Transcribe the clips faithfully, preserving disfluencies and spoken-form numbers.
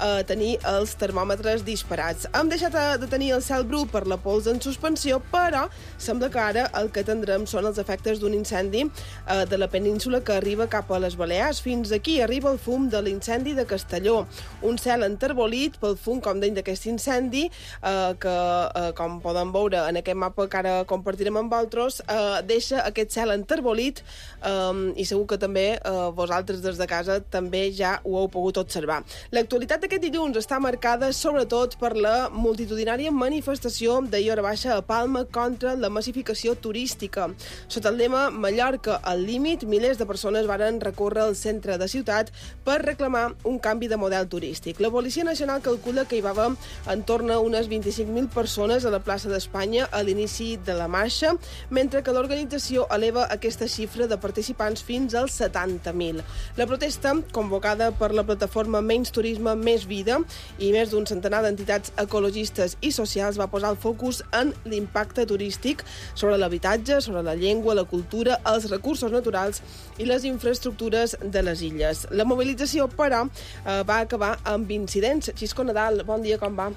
a tenir els termòmetres disparats. Hem deixat de tenir el cel bru per la pols en suspensió, però sembla que ara el que tindrem són els efectes d'un incendi eh, de la península que arriba cap a les Balears. Fins aquí arriba el fum de l'incendi de Castelló. Un cel enterbolit pel fum, com deim, d'aquest incendi, eh, que, eh, com podem veure en aquest mapa que ara compartirem amb vosaltres, eh, deixa aquest cel enterbolit eh, i segur que també eh, vosaltres des de casa també ja ho heu pogut observar. L'actualitat d'aquest dilluns està marcada sobretot per la multitudinària manifestació d'ahir hora baixa a Palma contra la massificació turística. Sota el lema Mallorca al límit, milers de persones varen recórrer al centre de ciutat per reclamar un canvi de model turístic. La Policia Nacional calcula que hi va haver en torn a unes vint-i-cinc mil persones a la plaça d'Espanya a l'inici de la marxa, mentre que l'organització eleva aquesta xifra de participants fins als setanta mil. La protesta, convocada per la plataforma Menys Turisme, Més Vida i més d'un centenar d'entitats ecologistes i socials, va posar el focus en l'impacte turístic sobre l'habitatge, sobre la llengua, la cultura, els recursos naturals i les infraestructures de les illes. La mobilització, però, eh, va acabar amb incidents. Xisco Nadal, bon dia, com va?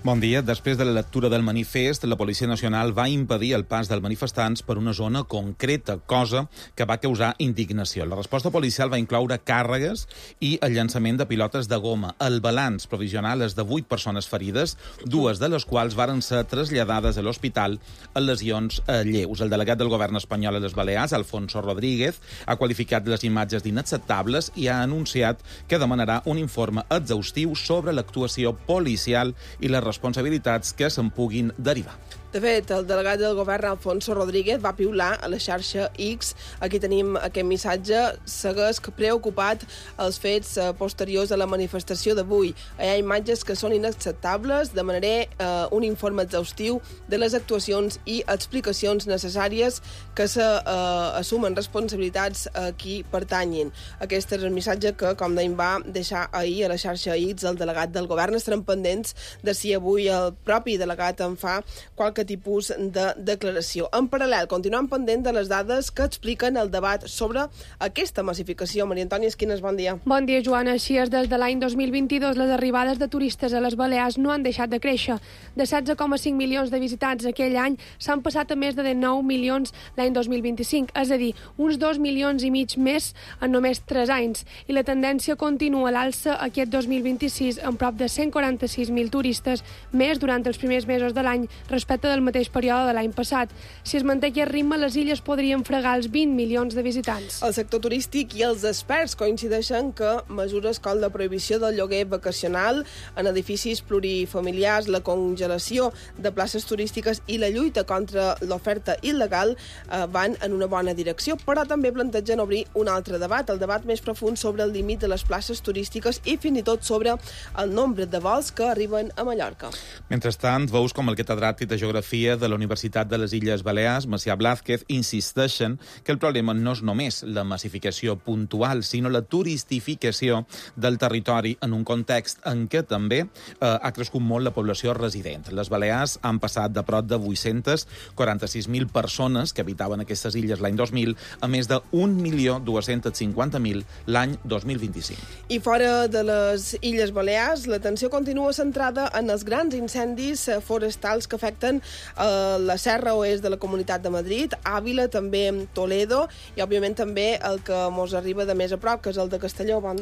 Bon dia. Després de la lectura del manifest, la Policia Nacional va impedir el pas dels manifestants per una zona concreta, cosa que va causar indignació. La resposta policial va incloure càrregues i el llançament de pilotes de goma. El balanç provisional és de vuit persones ferides, dues de les quals varen ser traslladades a l'hospital amb lesions lleus. El delegat del govern espanyol a les Balears, Alfonso Rodríguez, ha qualificat les imatges d'inacceptables i ha anunciat que demanarà un informe exhaustiu sobre l'actuació policial i les responsabilitats que se'n puguin derivar. De fet, el delegat del govern, Alfonso Rodríguez, va piular a la xarxa X. Aquí tenim aquest missatge. Segueix preocupat els fets posteriors a la manifestació d'avui. Hi ha imatges que són inacceptables. Demanaré eh, un informe exhaustiu de les actuacions i explicacions necessàries que s'assumen eh, responsabilitats a qui pertanyin. Aquest és el missatge que, com dèiem, va deixar ahir a la xarxa X el delegat del govern. Estarem pendents de si avui el propi delegat en fa qualque tipus de declaració. En paral·lel, continuem pendent de les dades que expliquen el debat sobre aquesta massificació. Maria Antònia Esquines, bon dia. Bon dia, Joana. Així és, des de l'any dos mil vint-i-dos les arribades de turistes a les Balears no han deixat de créixer. De setze coma cinc milions de visitants aquell any s'han passat a més de dinou milions l'any dos mil vint-i-cinc, és a dir, uns dos milions i mig més en només tres anys. I la tendència continua a l'alça aquest dos mil vint-i-sis amb prop de cent quaranta-sis mil turistes més durant els primers mesos de l'any respecte del mateix període de l'any passat. Si es manté aquest ritme, les illes podrien fregar els vint milions de visitants. El sector turístic i els experts coincideixen que mesures com la prohibició del lloguer vacacional en edificis plurifamiliars, la congelació de places turístiques i la lluita contra l'oferta il·legal eh, van en una bona direcció, però també plantegen obrir un altre debat, el debat més profund sobre el límit de les places turístiques i fins i tot sobre el nombre de vols que arriben a Mallorca. Mentrestant, veus com el catedràtic de Geografia de la Universitat de les Illes Balears, Macià Blázquez, insisteixen que el problema no és només la massificació puntual, sinó la turistificació del territori en un context en què també eh, ha crescut molt la població resident. Les Balears han passat de prop de vuit-centes quaranta-sis mil persones que habitaven aquestes illes l'any dos mil a més de un milió dos-cents cinquanta mil l'any dos mil vint-i-cinc. I fora de les Illes Balears, l'atenció continua centrada en els grans incendis forestals que afecten a la serra oest de la Comunitat de Madrid, Àvila, també Toledo, i òbviament també el que mos arriba de més a prop, que és el de Castelló. Bon...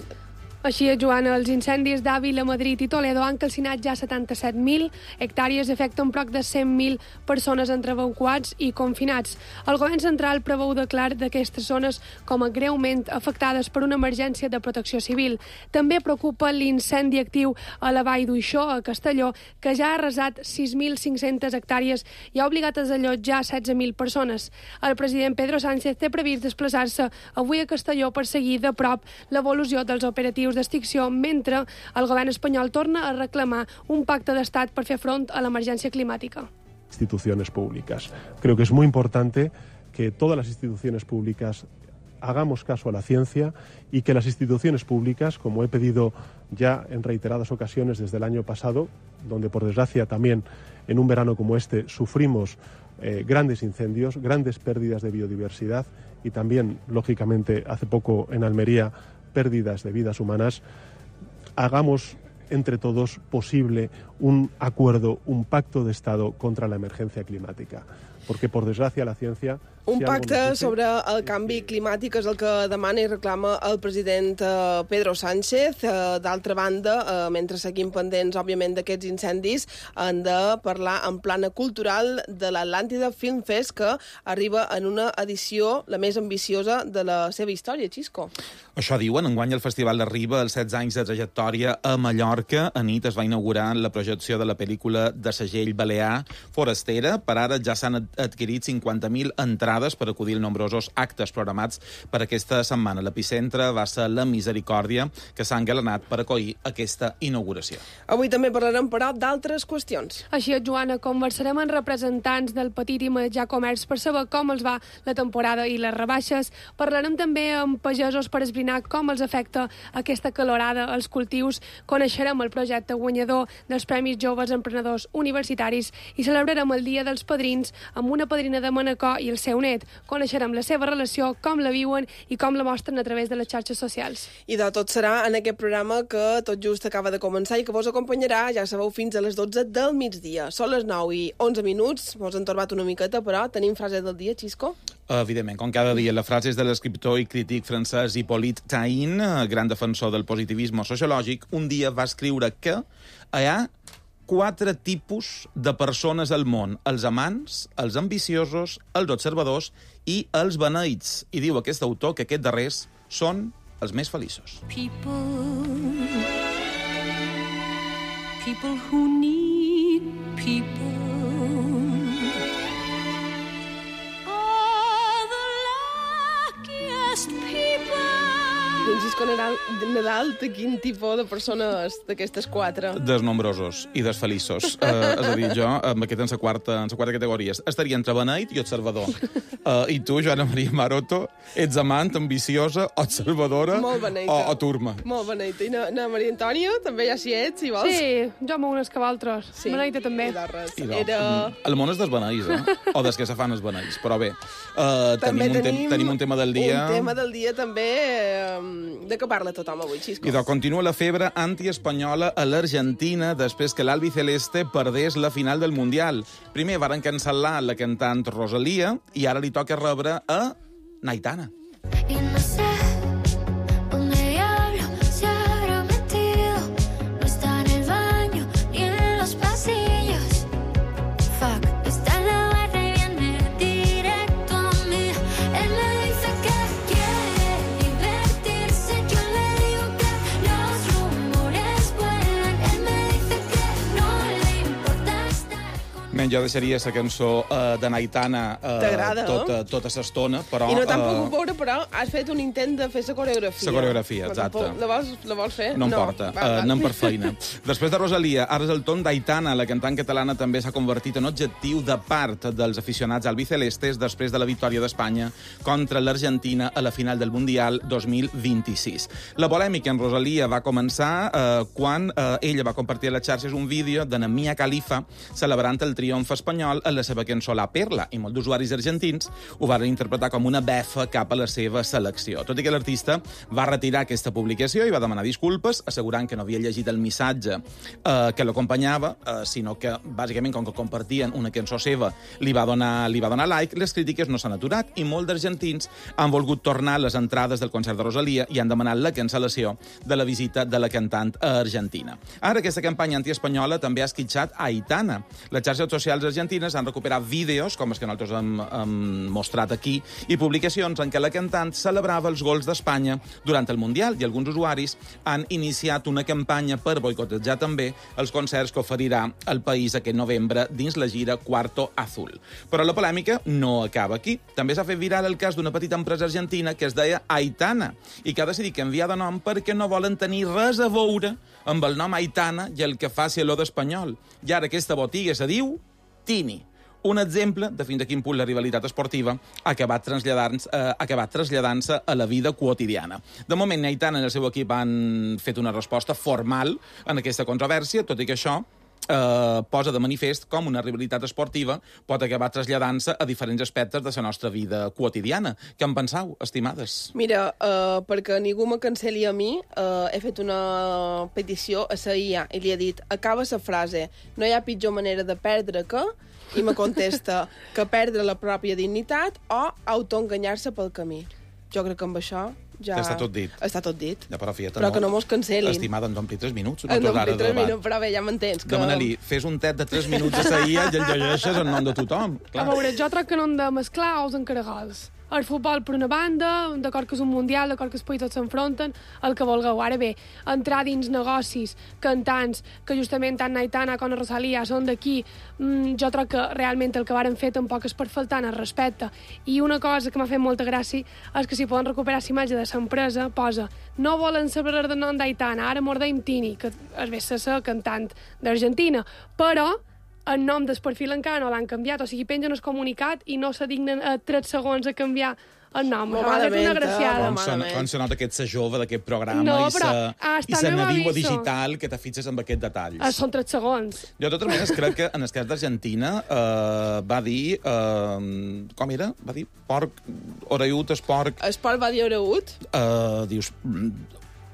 Així és, Joana, els incendis d'Àvila, Madrid i Toledo han calcinat ja setanta-set mil hectàrees i afecten prop de cent mil persones entre evacuats i confinats. El govern central preveu declarar d'aquestes zones com a greument afectades per una emergència de protecció civil. També preocupa l'incendi actiu a la vall d'Uixó, a Castelló, que ja ha arrasat sis mil cinc-centes hectàrees i ha obligat a desallotjar setze mil persones. El president Pedro Sánchez té previst desplaçar-se avui a Castelló per seguir de prop l'evolució dels operatius d'extinció, mentre el govern espanyol torna a reclamar un pacte d'estat per fer front a l'emergència climàtica. Instituciones públicas. Creo que es muy importante que todas las instituciones públicas hagamos caso a la ciencia y que las instituciones públicas, como he pedido ya en reiteradas ocasiones desde el año pasado, donde por desgracia también en un verano como este sufrimos eh, grandes incendios, grandes pérdidas de biodiversidad y también, lógicamente, hace poco en Almería, pérdidas de vidas humanas, hagamos entre todos posible un acuerdo, un pacto de Estado contra la emergencia climática. Porque, por desgracia, la ciencia... Un pacte sobre el canvi climàtic és el que demana i reclama el president Pedro Sánchez. D'altra banda, mentre seguim pendents, òbviament, d'aquests incendis, han de parlar en plana cultural de l'Atlàntida Film Fest, que arriba en una edició la més ambiciosa de la seva història, Xisco. Això diuen. Enguany el festival arriba als setze anys de trajectòria a Mallorca. A nit es va inaugurar la projecció de la pel·lícula de segell balear Forastera. Per ara ja s'han adquirit cinquanta mil entrades per acudir a nombrosos actes programats per aquesta setmana. L'epicentre va ser la Misericòrdia, que s'ha engalanat per acollir aquesta inauguració. Avui també parlarem, però, d'altres qüestions. Així és, Joana, conversarem amb representants del petit i mitjà comerç per saber com els va la temporada i les rebaixes. Parlarem també amb pagesos per esbrinar com els afecta aquesta calorada als cultius. Coneixerem el projecte guanyador dels Premis Joves Emprenedors Universitaris i celebrarem el Dia dels Padrins amb una padrina de Manacor i el seu net. Coneixerem la seva relació, com la viuen i com la mostren a través de les xarxes socials. I de tot serà en aquest programa que tot just acaba de començar i que vos acompanyarà, ja sabeu, fins a les dotze del migdia. Són les nou i onze minuts, mos han torbat una miqueta, però tenim frase del dia, Xisco? Evidentment, com cada dia, la frase és de l'escriptor i crític francès Hippolyte Taine, gran defensor del positivisme sociològic. Un dia va escriure que hi ha quatre tipus de persones al món: els amants, els ambiciosos, els observadors i els beneïts. I diu aquest autor que aquests darrers són els més feliços. People, people who need people are the luckiest people. Francisco Nadal, Nadal, de quin tipus de persones d'aquestes quatre? Dels nombrosos i dels feliços. Uh, és a dir, jo, amb aquest en la quarta, en la quarta categoria, estaria entre beneït i observador. Uh, I tu, Joana Maria Maroto, ets amant, ambiciosa, observadora o, o turma? Molt beneïta. I na, na Maria Antònia, també ja si ets, si vols. Sí, jo m'ho unes que altres. Sí. Beneïta també. I I Era... El món és dels beneïts, eh? O des que se fan els beneïts. Però bé, uh, també tenim, un tenim, te tenim un tema del dia... Un tema del dia també... Eh, de què parla tothom avui, Xisco? I doncs continua la febre antiespanyola a l'Argentina després que l'albiceleste perdés la final del Mundial. Primer varen cancel·lar la cantant Rosalía i ara li toca rebre a Aitana. Y no sé dónde diablo se habrá metido. No está en el baño ni en los pasillos. Fuck, está en la barra y viene directo a mí. Él me dice que quiere divertirse. Yo le digo que los rumores vuelan. Él me dice que no le importa estar con... Men, jo deixaria la cançó uh, de Aitana uh, tota, tota l'estona, però... I no t'han uh, pogut veure, però has fet un intent de fer la coreografia. La coreografia, exacte. La vols, la vols fer? No em porta, Va, va. uh, anem per feina. Després de Rosalía, ara és el torn d'Aitana. La cantant catalana també s'ha convertit en objectiu de part dels aficionats albicelestes després de la victòria d'Espanya contra l'Argentina a la final del Mundial dos mil vint-i-sis. La polèmica en Rosalía va començar uh, quan uh, ella va compartir a les xarxes un vídeo de Mia Khalifa celebrant el triomf espanyol en la seva cançó La Perla, i molts d'usuaris argentins ho van interpretar com una befa cap a la seva selecció. Tot i que l'artista va retirar aquesta publicació i va demanar disculpes, assegurant que no havia llegit el missatge eh, que l'acompanyava, eh, sinó que, bàsicament, com que compartien una cançó seva, li va donar, li va donar like. Les crítiques no s'han aturat i molts d'argentins han volgut tornar les entrades del concert de Rosalía i han demanat la cancel·lació de la visita de la cantant a Argentina. Ara, aquesta campanya antiespanyola també ha esquitxat a Aitana. Les xarxes socials argentines han recuperat vídeos, com els que nosaltres hem, hem mostrat aquí, i publicacions en què la cantant celebrava els gols d'Espanya durant el Mundial, i alguns usuaris han iniciat una campanya per boicotejar també els concerts que oferirà el país aquest novembre dins la gira Cuarto Azul. Però la polèmica no acaba aquí. També s'ha fet viral el cas d'una petita empresa argentina que es deia Aitana i que ha decidit canviar de nom perquè no volen tenir res a veure amb el nom Aitana i el que faci l'O d'Espanyol. I ara aquesta botiga se diu Tini. Un exemple de fins a quin punt la rivalitat esportiva ha acabat traslladant-se eh, acabat traslladant-se a la vida quotidiana. De moment, Aitana i el seu equip han fet una resposta formal en aquesta controvèrsia, tot i que això eh, posa de manifest com una rivalitat esportiva pot acabar traslladant-se a diferents aspectes de la nostra vida quotidiana. Què en penseu, estimades? Mira, uh, perquè ningú me cancel·li a mi, uh, he fet una petició a la I A i li he dit, acaba la frase, no hi ha pitjor manera de perdre que... I me contesta que perdre la pròpia dignitat o autoenganyar-se pel camí. Jo crec que amb això ja... Està tot dit. Està tot dit. Ja, però, fiat, però no, que no mos cancel·lin. Estimada, ens ompli tres minuts. Ens ompli tres minuts, però bé, ja m'entens. Que... Demana-li, fes un tet de tres minuts a la I A i el llegeixes en nom de tothom. Clar. A veure, jo troc que no hem de mesclar ous en caragols. El futbol, per una banda, d'acord que és un mundial, d'acord que els països s'enfronten, el que vulgueu. Ara bé, entrar dins negocis, cantants, que justament tant Aitana com Rosalía són d'aquí, mmm, jo troc que realment el que varen fer tampoc és per faltar el respecte. I una cosa que m'ha fet molta gràcia és que si poden recuperar l'imatge de l'empresa, posa no volen saber el nom d'Aitana, ara mordeim Tini, que es ve ser cantant d'Argentina, però el nom del perfil encara no l'han canviat, o sigui, pengen el comunicat i no se dignen a tres segons a canviar el nom. Molt M'ha fet una malament, graciada. molt Com se, com se nota que ets sa jove d'aquest programa No, i però sa, hasta i sa no m'ha nadiua visto. digital que te fixes amb aquests detalls. Ah, són tres segons. Jo, de totes maneres, crec que en el cas d'Argentina eh, va dir... Eh, com era? Va dir porc, orellut, es porc... Esport va dir Oreut? Eh, dius, mm,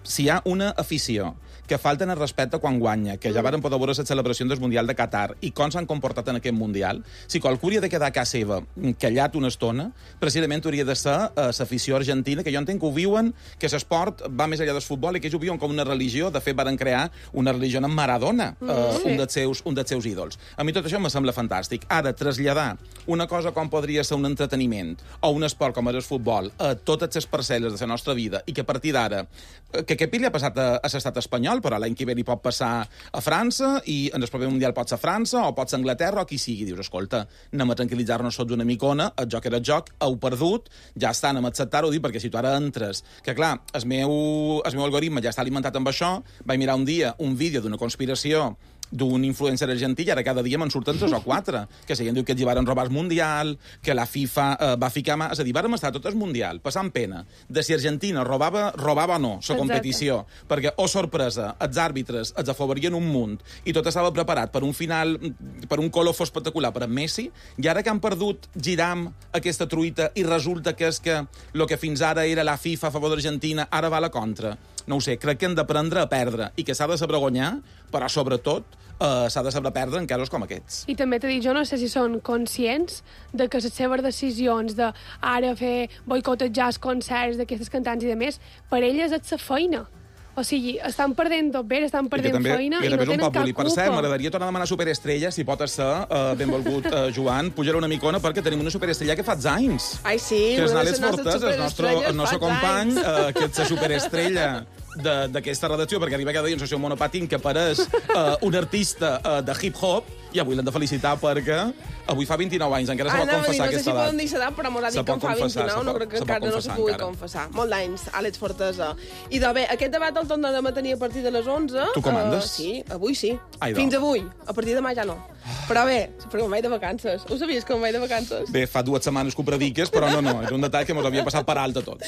si hi ha una afició que falten el respecte quan guanya, que ja varen poder veure la celebració del Mundial de Qatar i com s'han comportat en aquest Mundial, si qualcú hauria de quedar a casa seva callat una estona, precisament hauria de ser uh, l'afició argentina, que jo entenc que ho viuen, que l'esport va més enllà del futbol i que ells ho viuen com una religió. De fet, varen crear una religió en Maradona, uh, Mm, sí. un, dels seus, un dels seus ídols. A mi tot això me sembla fantàstic. Ara, traslladar una cosa com podria ser un entreteniment o un esport com és el futbol a totes les parcel·les de la nostra vida i que a partir d'ara, que aquest li ha passat a, a l'estat espanyol, però l'any que ve li pot passar a França i en el proper Mundial pot ser França o pot ser Anglaterra o qui sigui. Dius, escolta, anem a tranquil·litzar-nos tots una micona, el joc era el joc, heu perdut, ja està, anem a acceptar-ho, dir, perquè si tu ara entres... Que clar, el meu, el meu algoritme ja està alimentat amb això, vaig mirar un dia un vídeo d'una conspiració d'un influencer argentí i ara cada dia me'n surten tres o quatre, que si diu que els hi varen robar el Mundial, que la FIFA eh, va ficar mà... És a dir, vàrem estar tot el Mundial passant pena de si Argentina robava, robava o no la competició, perquè, oh sorpresa, els àrbitres els afavorien un munt i tot estava preparat per un final, per un colofó espectacular per en Messi, i ara que han perdut giram aquesta truita i resulta que és que el que fins ara era la FIFA a favor d'Argentina ara va a la contra. No ho sé, crec que hem d'aprendre a perdre i que s'ha de saber guanyar, però sobretot eh, s'ha de saber perdre en casos com aquests. I també t'he dit, jo no sé si són conscients de que les seves decisions de ara fer boicotejar els concerts d'aquestes cantants i de més, per elles és la feina. O sigui, estan perdent tot bé, estan perdent també, feina i, i no tenen cap bulli. culpa. Per cert, m'agradaria tornar a demanar superestrella, si pot ser, uh, benvolgut uh, Joan, pujar una micona perquè tenim una superestrella que fa anys. Ai, sí, Que és una de l'Àlex les nostres Fortes, el nostre, el superestrelles nostre fa company, anys. uh, que és la superestrella d'aquesta redacció, perquè arriba cada dia en sessió monopatín que apareix uh, un artista uh, de hip-hop, i avui l'hem de felicitar perquè avui fa vint-i-nou anys, encara se Ah, pot no, confessar no sé aquesta si edat. poden dir l'edat, però m'ho ha Se dit que pot en fa confessar, vint-i-nou, se no pot- crec que se pot encara no se confessar pugui encara. confessar. Molt d'anys, Àlex Fortesa. I de bé, aquest debat el tornarem a tenir a partir de les onze. Tu comandes? Uh, sí, avui sí. Ai, Fins do. avui. A partir de demà ja no. Però bé, perquè me'n vaig de vacances. Ho sabies que me'n vaig de vacances? Bé, fa dues setmanes que ho prediques, però no, no, és un detall que mos havia passat per alt a tots.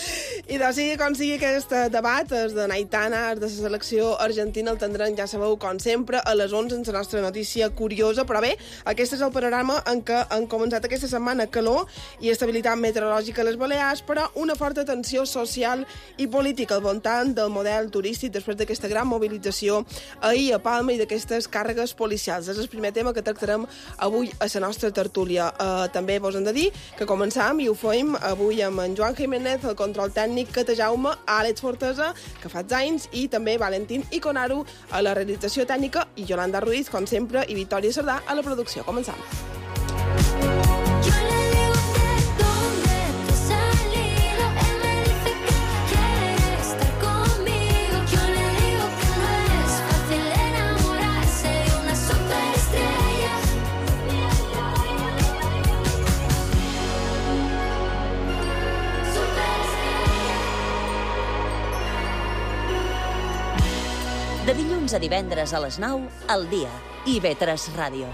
I de sigui com sigui aquest debat, els de Aitana, els de la selecció argentina, el tindrem, ja sabeu, com sempre, a les onze en la nostra notícia curiosa. Però bé, aquest és el panorama en què han començat aquesta setmana calor i estabilitat meteorològica a les Balears, però una forta tensió social i política al voltant del model turístic després d'aquesta gran mobilització ahir a Palma i d'aquestes càrregues policials. És el primer tema que tractarem avui a la nostra tertúlia. Uh, també vos hem de dir que començam i ho fem avui amb en Joan Jiménez, el control tècnic, Cata Jaume, Àlex Fortesa, que fa anys, i també Valentín Iconaru a la realització tècnica i Yolanda Ruiz, com sempre, i Victòria Sardà a la producció. Començam. Yo le digo de dónde te has salido. Él me dice que quiere estar conmigo. Yo le digo que no es fácil enamorarse de una superestrella. Superestrella. De dilluns a divendres a les nou, al dia. I ve tres Ràdio.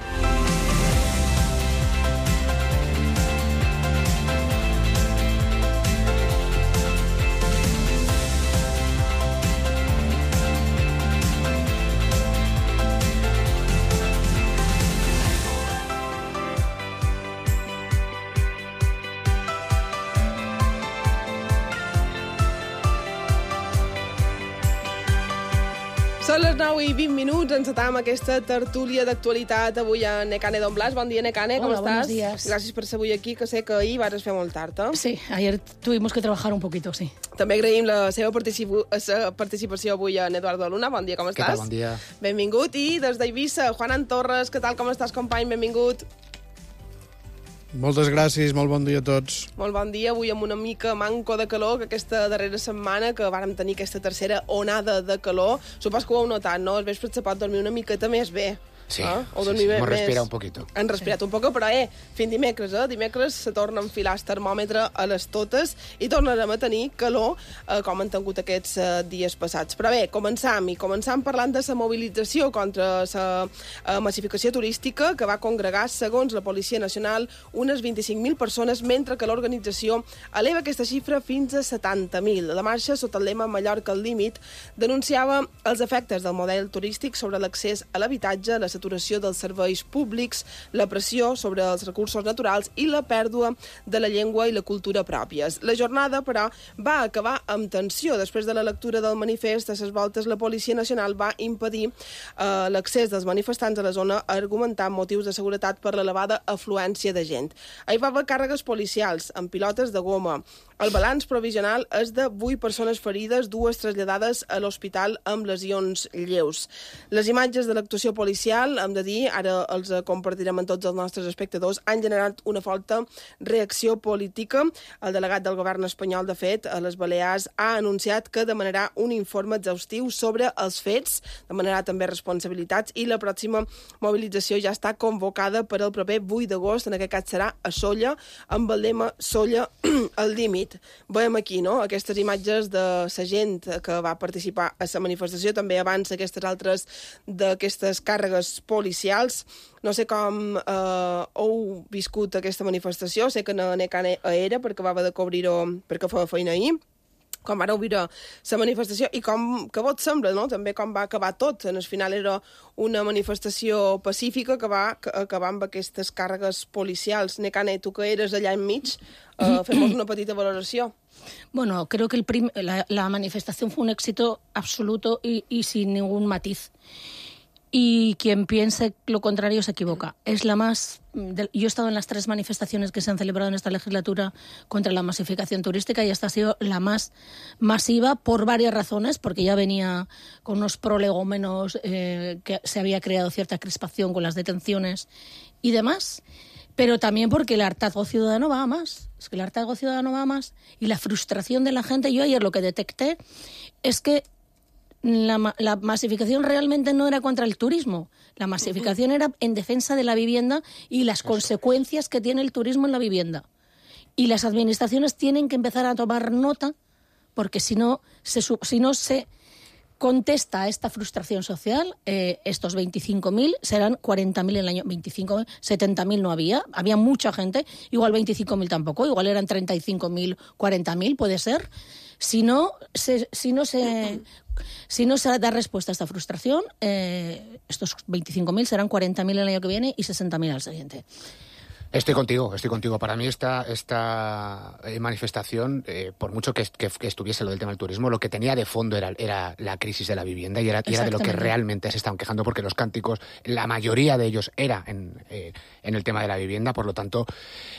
Són les nou i vint minuts, encetam aquesta tertúlia d'actualitat avui a Nekane Don Blas. Bon dia, Nekane, ¿cómo Hola, estás? buenos días. Gràcies per ser avui aquí, que sé que ahir vas fer molt tard, eh? Sí, ayer tuvimos que trabajar un poquito, sí. També agraïm la seva participu- la participació avui en Eduardo Luna. Bon dia, com estàs? Què tal? Bon dia. Benvingut. I des d'Eivissa, Juanan Torres, què tal, com estàs, company? Benvingut. Moltes gràcies, molt bon dia a tots. Molt bon dia, avui amb una mica manco de calor, que aquesta darrera setmana que vàrem tenir aquesta tercera onada de calor, supos que ho heu notat, no? Els vespres se pot dormir una miqueta més bé. Sí, eh? O sí, dormir sí, bé- hemos més. respirado un poquito. Han respirat un poc, però eh, fins dimecres, eh? Dimecres se torna a enfilar el termòmetre a les totes i tornarem a tenir calor eh, com han tingut aquests eh, dies passats. Però bé, començam, i començam parlant de la mobilització contra la eh, massificació turística que va congregar, segons la Policia Nacional, unes vint-i-cinc mil persones, mentre que l'organització eleva aquesta xifra fins a setanta mil. La marxa, sota el lema Mallorca al límit, denunciava els efectes del model turístic sobre l'accés a l'habitatge, la saturació dels serveis públics, la pressió sobre els recursos naturals i la pèrdua de la llengua i la cultura pròpies. La jornada, però, va acabar amb tensió. Després de la lectura del manifest, a ses voltes la Policia Nacional va impedir eh, l'accés dels manifestants a la zona, argumentant motius de seguretat per l'elevada afluència de gent. Hi va haver càrregues policials amb pilotes de goma. El balanç provisional és de vuit persones ferides, dues traslladades a l'hospital amb lesions lleus. Les imatges de l'actuació policial, hem de dir, ara els compartirem amb tots els nostres espectadors, han generat una forta reacció política. El delegat del govern espanyol, de fet, a les Balears, ha anunciat que demanarà un informe exhaustiu sobre els fets, demanarà també responsabilitats, i la pròxima mobilització ja està convocada per al proper vuit d'agost, en aquest cas serà a Solla, amb el lema Solla al límit. Veiem aquí, no?, aquestes imatges de la gent que va participar a la manifestació, també abans aquestes altres d'aquestes càrregues policials. No sé com eh, heu viscut aquesta manifestació, sé que no Nekane era perquè va haver de cobrir-ho perquè feia feina ahir, com vareu viure la manifestació i com, que vos sembla, no?, també com va acabar tot. En el final era una manifestació pacífica que va acabar amb aquestes càrregues policials. Nekane, tu que eres allà enmig, eh, fem una petita valoració. Bueno, creo que el prim- la, la manifestación fue un éxito absoluto y, y sin ningún matiz. Y quien piense lo contrario se equivoca. Es la más... de- yo he estado en las tres manifestaciones que se han celebrado en esta legislatura contra la masificación turística y esta ha sido la más masiva por varias razones, porque ya venía con unos prolegómenos, eh, que se había creado cierta crispación con las detenciones y demás, pero también porque el hartazgo ciudadano va a más. Es que el hartazgo ciudadano va a más y la frustración de la gente. Yo ayer lo que detecté es que La, ma- la masificación realmente no era contra el turismo. La masificación era en defensa de la vivienda y las consecuencias que tiene el turismo en la vivienda. Y las administraciones tienen que empezar a tomar nota, porque si no se, su- si no se contesta a esta frustración social, eh, estos veinticinco mil serán cuarenta mil en el año. veinticinco mil, setenta mil no había, había mucha gente, igual veinticinco mil tampoco, igual eran treinta y cinco mil, cuarenta mil, puede ser. Si no se, si no se, si no se da respuesta a esta frustración, eh, estos veinticinco mil serán cuarenta mil el año que viene y sesenta mil al siguiente. Estoy contigo, estoy contigo. Para mí esta, esta eh, manifestación, eh, por mucho que, que, que estuviese lo del tema del turismo, lo que tenía de fondo era, era la crisis de la vivienda y era, y era de lo que realmente se estaban quejando, porque los cánticos, la mayoría de ellos era en, eh, en el tema de la vivienda. Por lo tanto,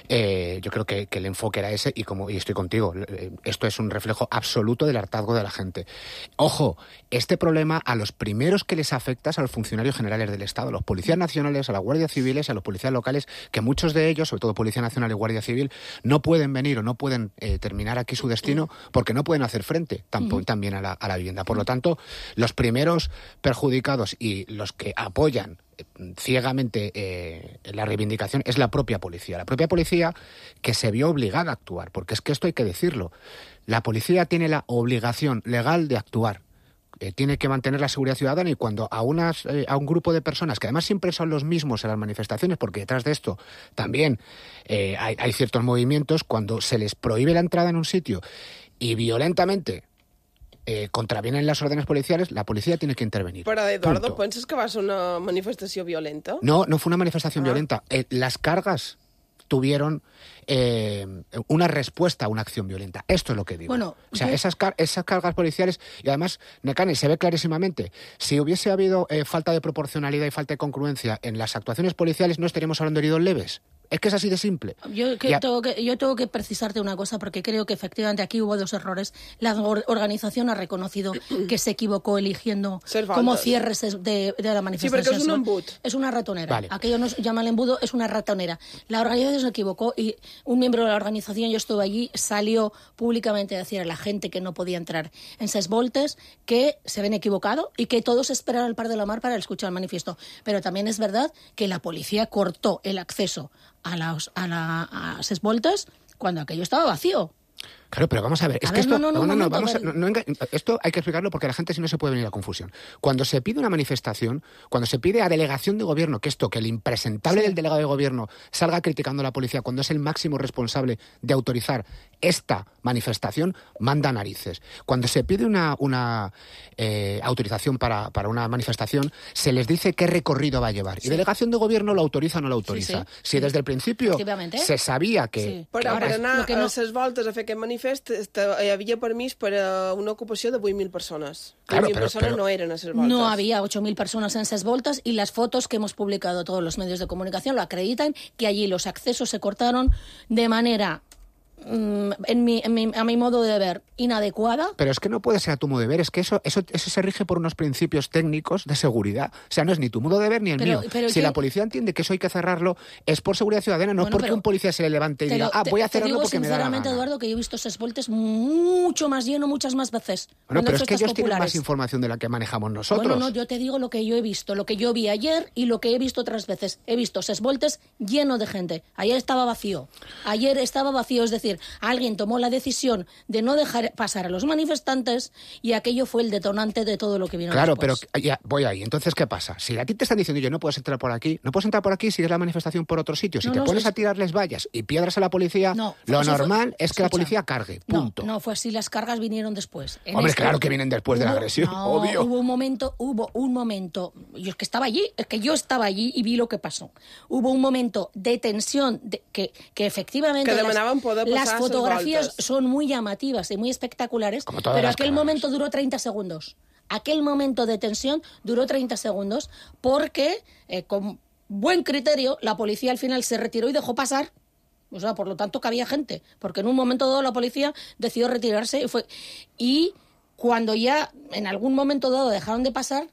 eh, yo creo que, que el enfoque era ese y, como, y estoy contigo. eh, Esto es un reflejo absoluto del hartazgo de la gente. Ojo, este problema a los primeros que les afecta es a los funcionarios generales del Estado, a los policías nacionales, a las guardias civiles, a los policías locales, que muchos de ellos, sobre todo Policía Nacional y Guardia Civil, no pueden venir o no pueden eh, terminar aquí su destino porque no pueden hacer frente tampoco, también a la, a la vivienda. Por lo tanto, los primeros perjudicados y los que apoyan eh, ciegamente eh, la reivindicación es la propia policía. La propia policía que se vio obligada a actuar, porque es que esto hay que decirlo. La policía tiene la obligación legal de actuar. Eh, tiene que mantener la seguridad ciudadana, y cuando a, unas, eh, a un grupo de personas, que además siempre son los mismos en las manifestaciones, porque detrás de esto también eh, hay, hay ciertos movimientos, cuando se les prohíbe la entrada en un sitio y violentamente eh, contravienen las órdenes policiales, la policía tiene que intervenir. Però, Eduardo, Punto. penses que va ser una manifestació violenta? No, no fue una manifestación ah. violenta. Eh, las cargas tuvieron eh, una respuesta a una acción violenta. Esto es lo que digo. Bueno, o sea, yo... esas, car esas cargas policiales, y además, Nekane, se ve clarísimamente, si hubiese habido eh, falta de proporcionalidad y falta de congruencia en las actuaciones policiales, no estaríamos hablando de heridos leves. Es que es así de simple. Yo, que tengo que, yo tengo que precisarte una cosa, porque creo que efectivamente aquí hubo dos errores. La or organización ha reconocido que se equivocó eligiendo como cierres de, de la manifestación. Sí, perquè és un embut. Es una ratonera. Vale. Aquello no se llama el embudo, es una ratonera. La organización se equivocó y un miembro de la organización, yo estuve allí, salió públicamente a decir a la gente que no podía entrar en Ses Voltes que se habían equivocado y que todos esperaran al Par de la Mar para escuchar el manifiesto. Pero también es verdad que la policía cortó el acceso a las a la, a Ses Voltes cuando aquello estaba vacío. Claro, pero vamos a ver, es a que ver, esto, no, no, no, no, no, momento, vamos a, a no, no, esto hay que explicarlo porque la gente si no se puede venir a confusión. Cuando se pide una manifestación, cuando se pide a delegación de gobierno, que esto, que el impresentable sí. del delegado de gobierno salga criticando a la policía cuando es el máximo responsable de autorizar esta manifestación, manda narices. Cuando se pide una, una eh, autorización para, para una manifestación, se les dice qué recorrido va a llevar. Sí. Y delegación de gobierno lo autoriza o no lo autoriza. Sí, sí. Si sí. desde el principio se sabia que... Sí. Però que per anar que no... a Ses Voltes a fer aquest manifest hi havia permís per a una ocupació de vuit mil persones. Claro, vuit mil pero, personas pero... no eran a Ses Voltes. No había ocho mil personas en Ses Voltes y las fotos que hemos publicado todos los medios de comunicación lo acreditan, que allí los accesos se cortaron de manera... En mi, en mi, a mi modo de ver, inadecuada. Pero es que no puede ser a tu modo de ver, es que eso, eso, eso se rige por unos principios técnicos de seguridad. O sea, no es ni tu modo de ver ni el pero, mío. Pero si ¿qué? la policía entiende que eso hay que cerrarlo, es por seguridad ciudadana, no bueno, porque un policía se le levante y diga, ah, voy a cerrarlo porque me da la gana. Sinceramente, Eduardo, que yo he visto Ses Voltes mucho más lleno, muchas más veces. Bueno, pero es que ellos populares. tienen más información de la que manejamos nosotros. Bueno, no, yo te digo lo que yo he visto, lo que yo vi ayer y lo que he visto otras veces. He visto Ses Voltes lleno de gente. Ayer estaba vacío. Ayer estaba vacío, es decir, alguien tomó la decisión de no dejar pasar a los manifestantes y aquello fue el detonante de todo lo que vino claro, después. Claro, pero ya voy ahí. Entonces, ¿qué pasa? Si a ti te están diciendo, yo no puedes entrar por aquí, no puedes entrar por aquí, sigues la manifestación por otro sitio. Si no, te no, pones es... a tirarles vallas y piedras a la policía, no, lo normal fue... es que Escucha, la policía cargue, punto. No, no fue así, las cargas vinieron después. En Hombre, este... claro que vienen después hubo... de la agresión, no, obvio. Hubo un momento, hubo un momento, yo es que estaba allí, es que yo estaba allí y vi lo que pasó. Hubo un momento de tensión, de, que, que efectivamente que las, las fotografías son muy llamativas y muy espectaculares, pero aquel momento duró treinta segundos. Aquel momento de tensión duró treinta segundos porque, eh, con buen criterio, la policía al final se retiró y dejó pasar. O sea, por lo tanto, que había gente. Porque en un momento dado la policía decidió retirarse y fue... Y cuando ya en algún momento dado dejaron de pasar...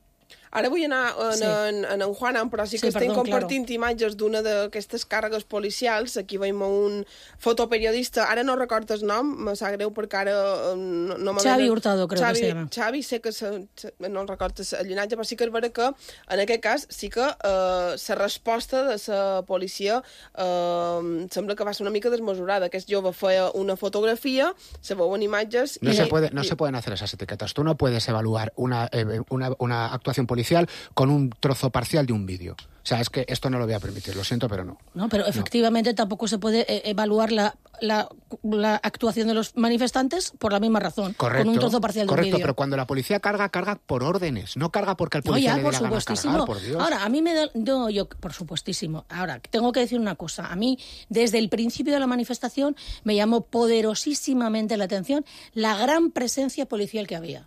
Ara vull anar en, sí. en, en en Juanan, però sí que sí, estem perdó, compartint claro. imatges d'una d'aquestes càrregues policials. Aquí veiem un fotoperiodista, ara no recordo el nom, me sap greu perquè ara no, no Xavi Hurtado, creo Xavi, que se llama. Xavi, sé que se, no el recordo el llinatge, però sí que és vera que en aquest cas sí que eh, la resposta de la policia eh, sembla que va ser una mica desmesurada. Aquest jove feia una fotografia, se veuen imatges... No, i, se, puede, no i... se pueden hacer esas etiquetas. Tú no puedes evaluar una, eh, una, una actuación policial con un trozo parcial de un vídeo. O sea, es que esto no lo voy a permitir, lo siento, pero no. No, pero efectivamente no. Tampoco se puede eh, evaluar la, la, la actuación de los manifestantes por la misma razón, correcto, con un trozo parcial correcto, de un vídeo. Pero cuando la policía carga, carga por órdenes, no carga porque el policía no, ya, le dé por la gana cargar, por Dios. Ahora, a mí me da... No, yo, por supuestísimo. Ahora, tengo que decir una cosa. A mí, desde el principio de la manifestación, me llamó poderosísimamente la atención la gran presencia policial que había.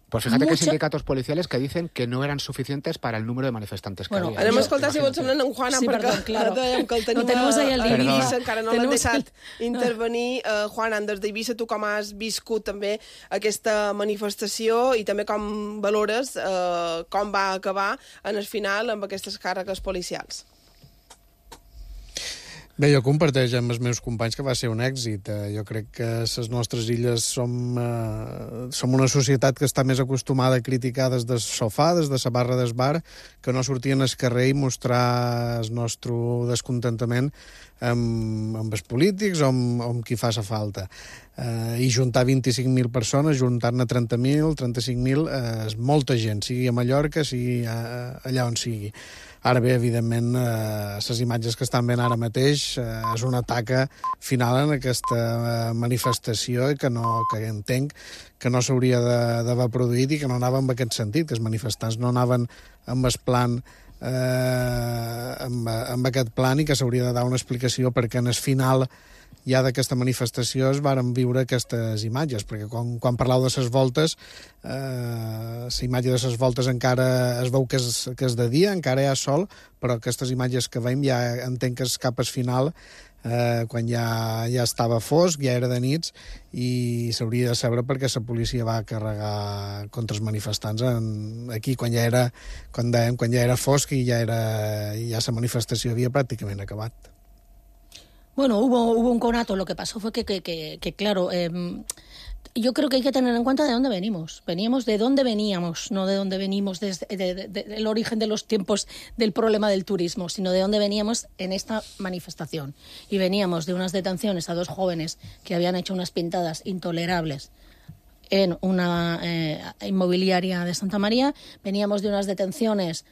Pues fíjate Mucho... que hay sindicatos policiales que dicen que no eran suficientes para el número de manifestantes que bueno, había. Anem a escoltar si vols semblant en Juanan, sí, perquè perdón, claro. dèiem que el tenim no tenemos ahí el a Eivissa, encara no l'han tenemos deixat el... intervenir. Uh, Juanan, des d'Eivissa, tu com has viscut també aquesta manifestació i també com valores uh, com va acabar en el final amb aquestes càrregues policials? Bé, jo comparteixo amb els meus companys que va ser un èxit. Jo crec que les nostres illes som, eh, som una societat que està més acostumada a criticar des del sofà, des de la barra del bar, que no sortien al carrer i mostrar el nostre descontentament amb, amb els polítics o amb, o amb qui fa sa falta. Eh, I juntar vint-i-cinc mil persones, juntar-ne trenta mil, trenta-cinc mil, eh, és molta gent, sigui a Mallorca, sigui a, allà on sigui. Ara bé, evidentment, eh, les imatges que estan veient ara mateix eh, és una taca final en aquesta eh, manifestació i que, no, que entenc que no s'hauria d'haver produït i que no anava en aquest sentit, que els manifestants no anaven amb el plan eh, amb, amb aquest plan i que s'hauria de dar una explicació perquè en el final ja d'aquesta manifestació es varen viure aquestes imatges, perquè quan, quan parlau de les voltes, eh, la imatge de les voltes encara es veu que és, que és de dia, encara hi ha sol, però aquestes imatges que veiem ja entenc que és cap al final, eh, quan ja, ja estava fosc, ja era de nits, i s'hauria de saber perquè la policia va carregar contra els manifestants en, aquí, quan ja era, quan dèiem, quan ja era fosc i ja, era, ja la manifestació havia pràcticament acabat. Bueno, hubo, hubo un conato. Lo que pasó fue que, que, que, que claro, eh, yo creo que hay que tener en cuenta de dónde venimos. Veníamos de dónde veníamos, no de dónde venimos desde de, de, de, del origen de los tiempos del problema del turismo, sino de dónde veníamos en esta manifestación. Y veníamos de unas detenciones a dos jóvenes que habían hecho unas pintadas intolerables en una eh, inmobiliaria de Santa María. Veníamos de unas detenciones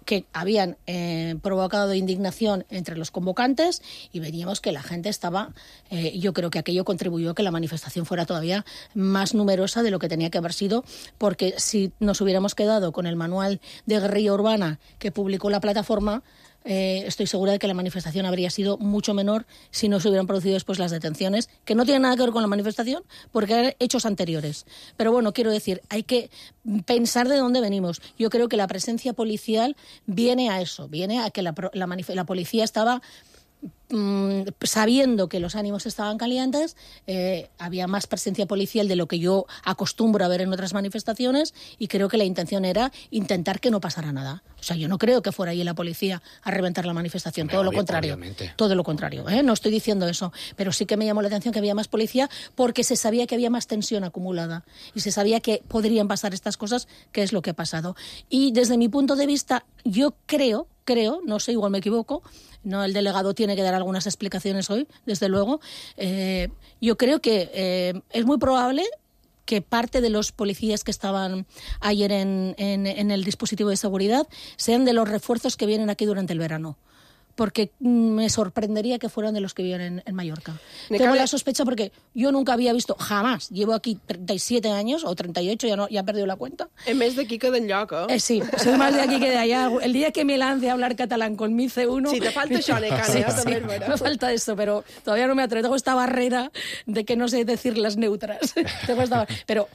que habían eh, provocado indignación entre los convocantes y veníamos que la gente estaba, eh, yo creo que aquello contribuyó a que la manifestación fuera todavía más numerosa de lo que tenía que haber sido, porque si nos hubiéramos quedado con el manual de guerrilla urbana que publicó la plataforma, Eh, estoy segura de que la manifestación habría sido mucho menor si no se hubieran producido después las detenciones, que no tienen nada que ver con la manifestación, porque eran hechos anteriores. Pero bueno, quiero decir, hay que pensar de dónde venimos. Yo creo que la presencia policial viene a eso, viene a que la, la, la policía estaba mmm, sabiendo que los ánimos estaban calientes, eh, había más presencia policial de lo que yo acostumbro a ver en otras manifestaciones, y creo que la intención era intentar que no pasara nada. O sea, yo no creo que fuera allí la policía a reventar la manifestación, Hombre, todo lo obvio, contrario. Obviamente. Todo lo contrario, ¿eh? No estoy diciendo eso, pero sí que me llamó la atención que había más policía porque se sabía que había más tensión acumulada y se sabía que podrían pasar estas cosas, que es lo que ha pasado. Y desde mi punto de vista, yo creo, creo, no sé, igual me equivoco, no, el delegado tiene que dar algunas explicaciones hoy, desde luego, eh, yo creo que eh, es muy probable que parte de los policías que estaban ayer en, en, en el dispositivo de seguridad sean de los refuerzos que vienen aquí durante el verano. Porque me sorprendería que fueran de los que viven en, en Mallorca. Me Tengo cabe... la sospecha porque yo nunca había visto, jamás, llevo aquí treinta y siete años, o treinta y ocho, ya, no, ya he perdido la cuenta. Es más de aquí que d'enlloc, eh? eh? Sí, soy más de aquí que de allá. El día que me lance a hablar catalán con mi C uno... Sí, te falta això, Necane, sí, sí, també sí, me falta eso, pero todavía no me atrevo. Tengo esta barrera de que no sé decir las neutras. Tengo esta... Pero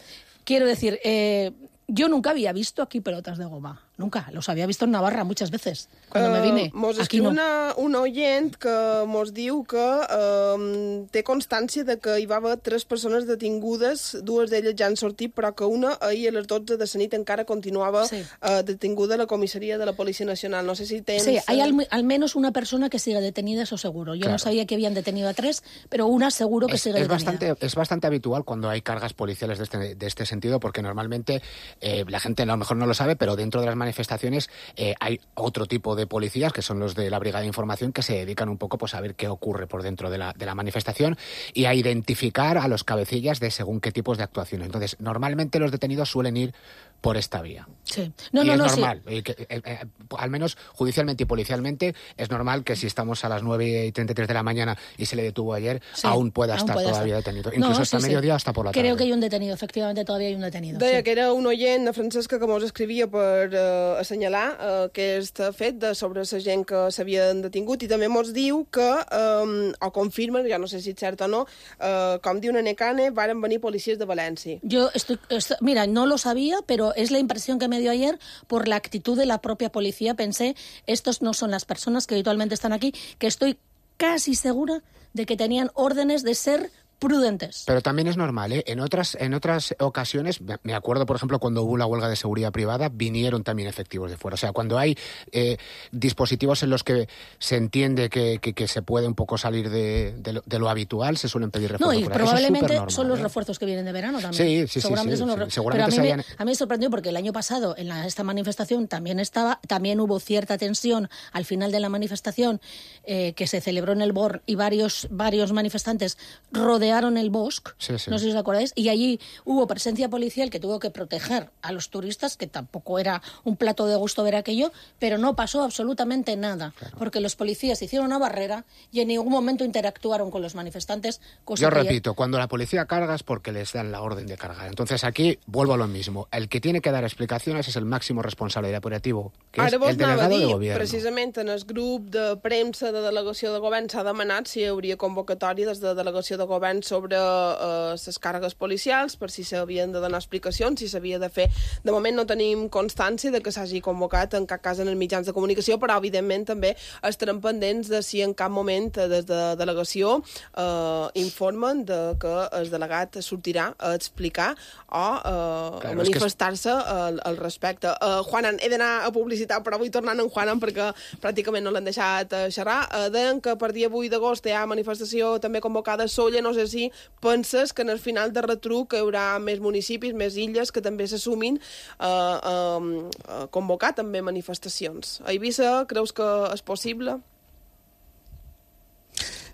quiero decir... Eh, yo nunca había visto aquí pelotas de goma. Nunca. Los había visto en Navarra muchas veces, cuando uh, me vine. Mos aquí no. una, una oient que mos diu que uh, té constància de que hi va haver tres persones detingudes, dues d'elles ja han sortit, però que una ahir a les dotze de la nit encara continuava sí. uh, detinguda a la comissaria de la Policia Nacional. No sé si tens... Sí, hay al, al menos una persona que sigue detenida, eso seguro. Yo claro. no sabía que habían detenido a tres, pero una seguro que es, sigue es detenida. Bastante, es bastante habitual cuando hay cargas policiales de este, de este sentido, porque normalmente eh, la gente a lo mejor no lo sabe, pero dentro de las manifestaciones eh, hay otro tipo de policías, que son los de la Brigada de Información, que se dedican un poco pues, a ver qué ocurre por dentro de la, de la manifestación y a identificar a los cabecillas de según qué tipos de actuaciones. Entonces, normalmente los detenidos suelen ir por esta vía. Sí. No, y no, es no, normal. sí. Y que, eh, eh, al menos judicialmente y policialmente, es normal que si estamos a las nueve y treinta y tres de la mañana y se le detuvo ayer, sí, aún pueda aún estar puede todavía estar. detenido. Incluso no, hasta sí, mediodía, sí. hasta por la tarde. Creo que hay un detenido, efectivamente, todavía hay un detenido. Deia sí. que era un oient de Francesca que mos escrivia per uh, assenyalar uh, aquest fet de sobre la gent que s'havien detingut, i també mos diu que, um, o confirma, ja no sé si és cert o no, uh, com diu una Necane, varen venir policies de València. Yo estoy, estoy, mira, no lo sabía, pero es la impresión que me dio ayer por la actitud de la propia policía. Pensé, estos no son las personas que habitualmente están aquí, que estoy casi segura de que tenían órdenes de ser prudentes. Pero también es normal, ¿eh? En otras, en otras ocasiones, me acuerdo, por ejemplo, cuando hubo la huelga de seguridad privada, vinieron también efectivos de fuera. O sea, cuando hay eh, dispositivos en los que se entiende que, que, que se puede un poco salir de, de, lo, de lo habitual, se suelen pedir refuerzos. No, y probablemente normal, son los ¿eh? refuerzos que vienen de verano también. Sí, sí, seguramente sí. sí, son los... sí seguramente Pero a mí, hayan... me, a mí me sorprendió porque el año pasado en la, esta manifestación también estaba, también hubo cierta tensión al final de la manifestación eh, que se celebró en el Born y varios, varios manifestantes rodeados rodearon el bosque, Sí, sí. no sé si os acordáis, y allí hubo presencia policial que tuvo que proteger a los turistas, que tampoco era un plato de gusto ver aquello, pero no pasó absolutamente nada, claro. porque los policías hicieron una barrera y en ningún momento interactuaron con los manifestantes. Cosa Yo que repito, cuando la policía carga es porque les dan la orden de cargar. Entonces aquí vuelvo a lo mismo. El que tiene que dar explicaciones es el máximo responsable del operativo, que Ara és el delegado dir, de gobierno. Precisament en el grup de premsa de delegació de govern s'ha demanat si hi hauria convocatòria des de delegació de govern sobre eh, les càrregues policials, per si s'havien de donar explicacions, si s'havia de fer. De moment no tenim constància de que s'hagi convocat en cap cas en els mitjans de comunicació, però evidentment també estarem pendents de si en cap moment des de delegació eh, informen de que el delegat sortirà a explicar o eh, claro, a manifestar-se es que... al, al respecte. Uh, Juanan, he d'anar a publicitat, però vull tornar en Juanan perquè pràcticament no l'han deixat uh, xerrar. Uh, deien que per dia vuit d'agost hi ha manifestació també convocada a Sóller. No sé si penses que en el final de retruc hi haurà més municipis, més illes que també s'assumin uh, uh, a convocar també manifestacions. A Eivissa creus que és possible?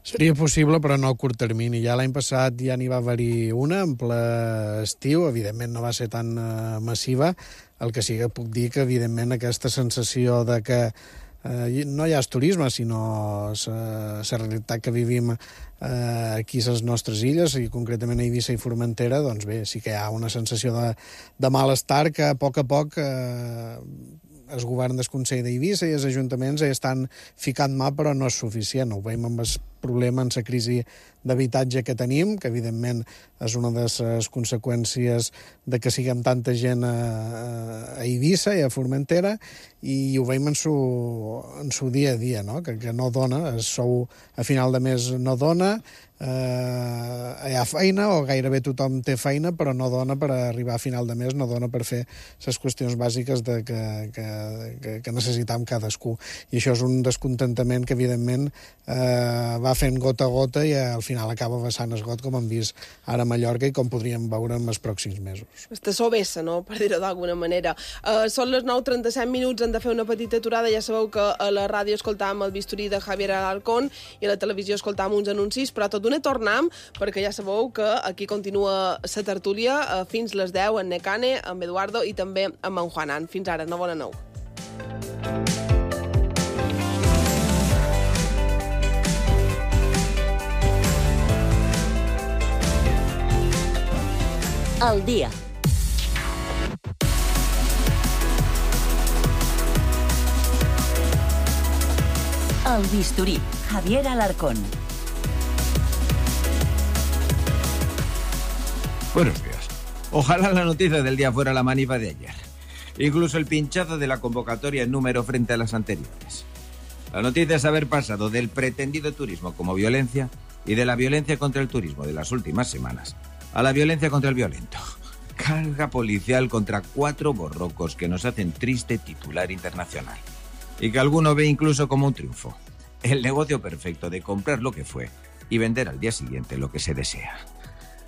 Seria possible, però no a curt termini. Ja l'any passat ja n'hi va haver-hi una, en ple estiu, evidentment no va ser tan uh, massiva. El que sí que puc dir que, evidentment, aquesta sensació de que eh, no hi ha turisme, sinó la realitat que vivim eh, aquí a les nostres illes, i concretament a Eivissa i Formentera, doncs bé, sí que hi ha una sensació de, de malestar que a poc a poc eh, el govern del Consell d'Eivissa i els ajuntaments hi estan ficant mà, però no és suficient. Ho veiem amb el problema en la crisi d'habitatge que tenim, que evidentment és una de les conseqüències de que siguem tanta gent a, a Eivissa i a Formentera, i ho veiem en su, en su dia a dia, no? que, que no dona, el sou a final de mes no dona, eh, hi ha feina, o gairebé tothom té feina, però no dona per arribar a final de mes, no dona per fer les qüestions bàsiques de que, que, que, que necessitam cadascú. I això és un descontentament que, evidentment, eh, va fent gota a gota i al final acaba vessant el got, com hem vist ara a Mallorca i com podríem veure en els pròxims mesos. Està sovessa, no?, per dir-ho d'alguna manera. Uh, són les nou trenta-set minuts, hem de fer una petita aturada. Ja sabeu que a la ràdio escoltàvem el bisturí de Javier Alarcón i a la televisió escoltàvem uns anuncis, però tot d'una tornem, perquè ja sabeu que aquí continua la tertúlia uh, fins les deu amb Necane, amb Eduardo i també amb en Juanan. Fins ara, no bona nou. Al dia. El bisturí, Javier Alarcón. Buenos días. Ojalá la noticia del día fuera la manifa de ayer. Incluso el pinchazo de la convocatoria en número frente a las anteriores. La noticia es haber pasado del pretendido turismo como violencia y de la violencia contra el turismo de las últimas semanas a la violencia contra el violento. Carga policial contra cuatro borrocos que nos hacen triste titular internacional. Y que alguno ve incluso como un triunfo. El negocio perfecto de comprar lo que fue y vender al día siguiente lo que se desea.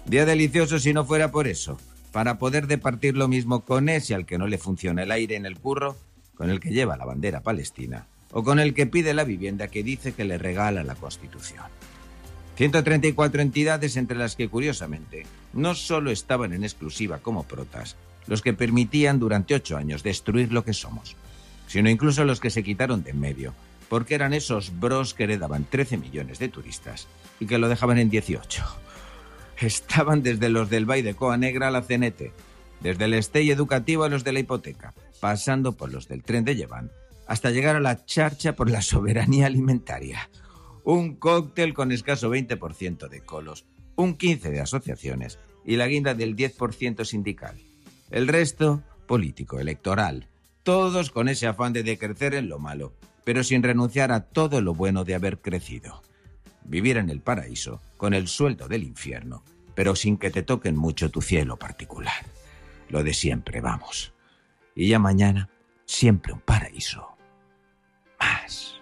Día delicioso si no fuera por eso, para poder departir lo mismo con ese al que no le funciona el aire en el curro, con el que lleva la bandera palestina, o con el que pide la vivienda que dice que le regala la Constitución. ciento treinta y cuatro entidades, entre las que, curiosamente, no solo estaban en exclusiva como protas, los que permitían durante ocho años destruir lo que somos, sino incluso los que se quitaron de en medio, porque eran esos bros que heredaban trece millones de turistas y que lo dejaban en dieciocho. Estaban desde los del Bay de Coa Negra a la C N T, desde el Estey educativo a los de la hipoteca, pasando por los del tren de Llevant, hasta llegar a la charcha por la soberanía alimentaria. Un cóctel con escaso veinte por ciento de colos, un quince por ciento de asociaciones y la guinda del diez por ciento sindical. El resto, político, electoral, todos con ese afán de decrecer en lo malo, pero sin renunciar a todo lo bueno de haber crecido. Vivir en el paraíso, con el sueldo del infierno, pero sin que te toquen mucho tu cielo particular. Lo de siempre, vamos. Y ya mañana, siempre un paraíso más.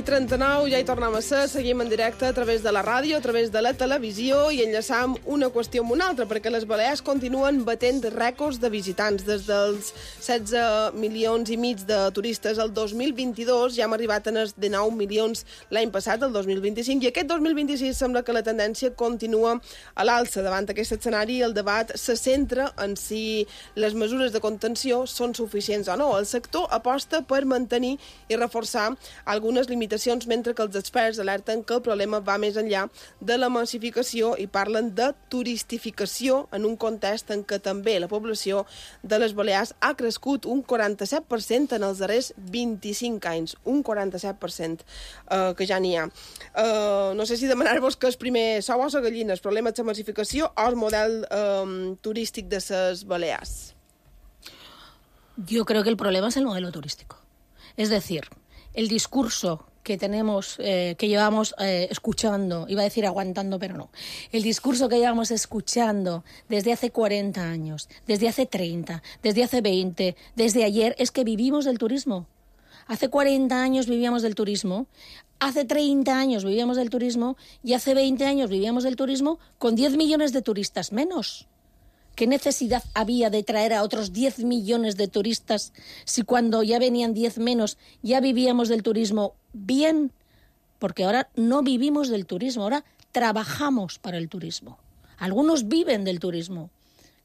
i trenta-nou, ja hi tornem a ser, seguim en directe a través de la ràdio, a través de la televisió i enllaçam una qüestió amb una altra, perquè les Balears continuen batent rècords de visitants. Des dels setze milions i mig de turistes el dos mil vint-i-dos ja hem arribat a els dinou milions l'any passat, el dos mil vint-i-cinc, i aquest dos mil vint-i-sis sembla que la tendència continua a l'alça. Davant aquest escenari, el debat se centra en si les mesures de contenció són suficients o no. El sector aposta per mantenir i reforçar algunes limitacions, mentre que els experts alerten que el problema va més enllà de la massificació i parlen de turistificació en un context en què també la població de les Balears ha crescut un quaranta-set per cent en els darrers vint-i-cinc anys. Un quaranta-set per cent eh, que ja n'hi ha. Eh, no sé si demanar-vos que el primer sou o la gallina, el problema de la massificació o el model eh, turístic de les Balears. Yo creo que el problema es el modelo turístico. Es decir, el discurso que tenemos, eh, que llevamos eh, escuchando, iba a decir aguantando, pero no, el discurso que llevamos escuchando desde hace cuarenta años, desde hace treinta, desde hace veinte, desde ayer, es que vivimos del turismo. Hace cuarenta años vivíamos del turismo, hace treinta años vivíamos del turismo y hace veinte años vivíamos del turismo con diez millones de turistas menos. ¿Qué necesidad había de traer a otros diez millones de turistas si cuando ya venían diez menos ya vivíamos del turismo bien? Porque ahora no vivimos del turismo, ahora trabajamos para el turismo. Algunos viven del turismo,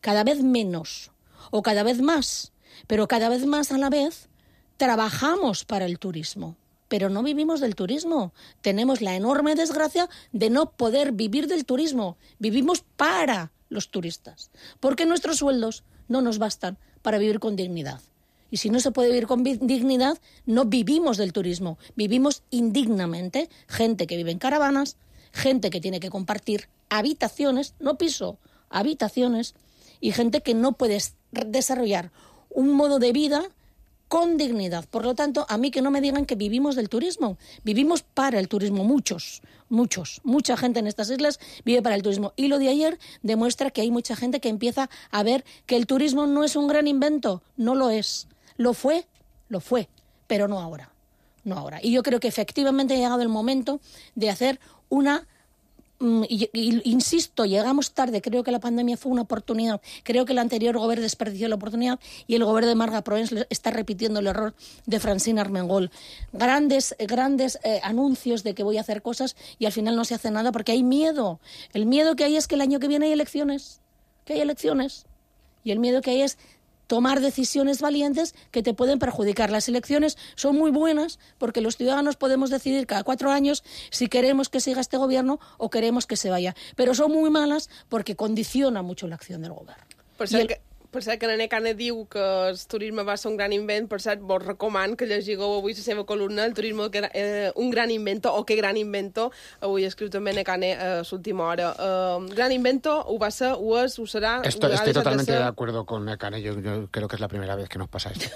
cada vez menos o cada vez más, pero cada vez más a la vez trabajamos para el turismo. Pero no vivimos del turismo. Tenemos la enorme desgracia de no poder vivir del turismo. Vivimos para los turistas, porque nuestros sueldos no nos bastan para vivir con dignidad. Y si no se puede vivir con dignidad, no vivimos del turismo, vivimos indignamente. Gente que vive en caravanas, gente que tiene que compartir habitaciones, no piso, habitaciones, y gente que no puede desarrollar un modo de vida con dignidad. Por lo tanto, a mí que no me digan que vivimos del turismo. Vivimos para el turismo, muchos, muchos. Mucha gente en estas islas vive para el turismo. Y lo de ayer demuestra que hay mucha gente que empieza a ver que el turismo no es un gran invento. No lo es. Lo fue, lo fue, pero no ahora. No ahora. Y yo creo que efectivamente ha llegado el momento de hacer una... Y, y, insisto, llegamos tarde, creo que la pandemia fue una oportunidad, creo que el anterior gobierno desperdició la oportunidad y el gobierno de Marga Proens está repitiendo el error de Francina Armengol. Grandes, grandes eh, anuncios de que voy a hacer cosas y al final no se hace nada porque hay miedo. El miedo que hay es que el año que viene hay elecciones, que hay elecciones. Y el miedo que hay es tomar decisiones valientes que te pueden perjudicar. Las elecciones son muy buenas porque los ciudadanos podemos decidir cada cuatro años si queremos que siga este gobierno o queremos que se vaya. Pero son muy malas porque condiciona mucho la acción del gobierno. Per cert, el... que, per cert que Nene Cana diu que el turisme va ser un gran invent. Per cert, vos recoman que llegiu avui la seva columna, el turisme, que, eh, un gran invento, o que gran invento. Avui escriu també Nene Cana a eh, l'última hora. Eh, gran invento, ho va ser, ho és, ho serà... Esto, estoy totalmente de, de acuerdo con Nene. Yo, yo creo que es la primera vez que nos pasa esto.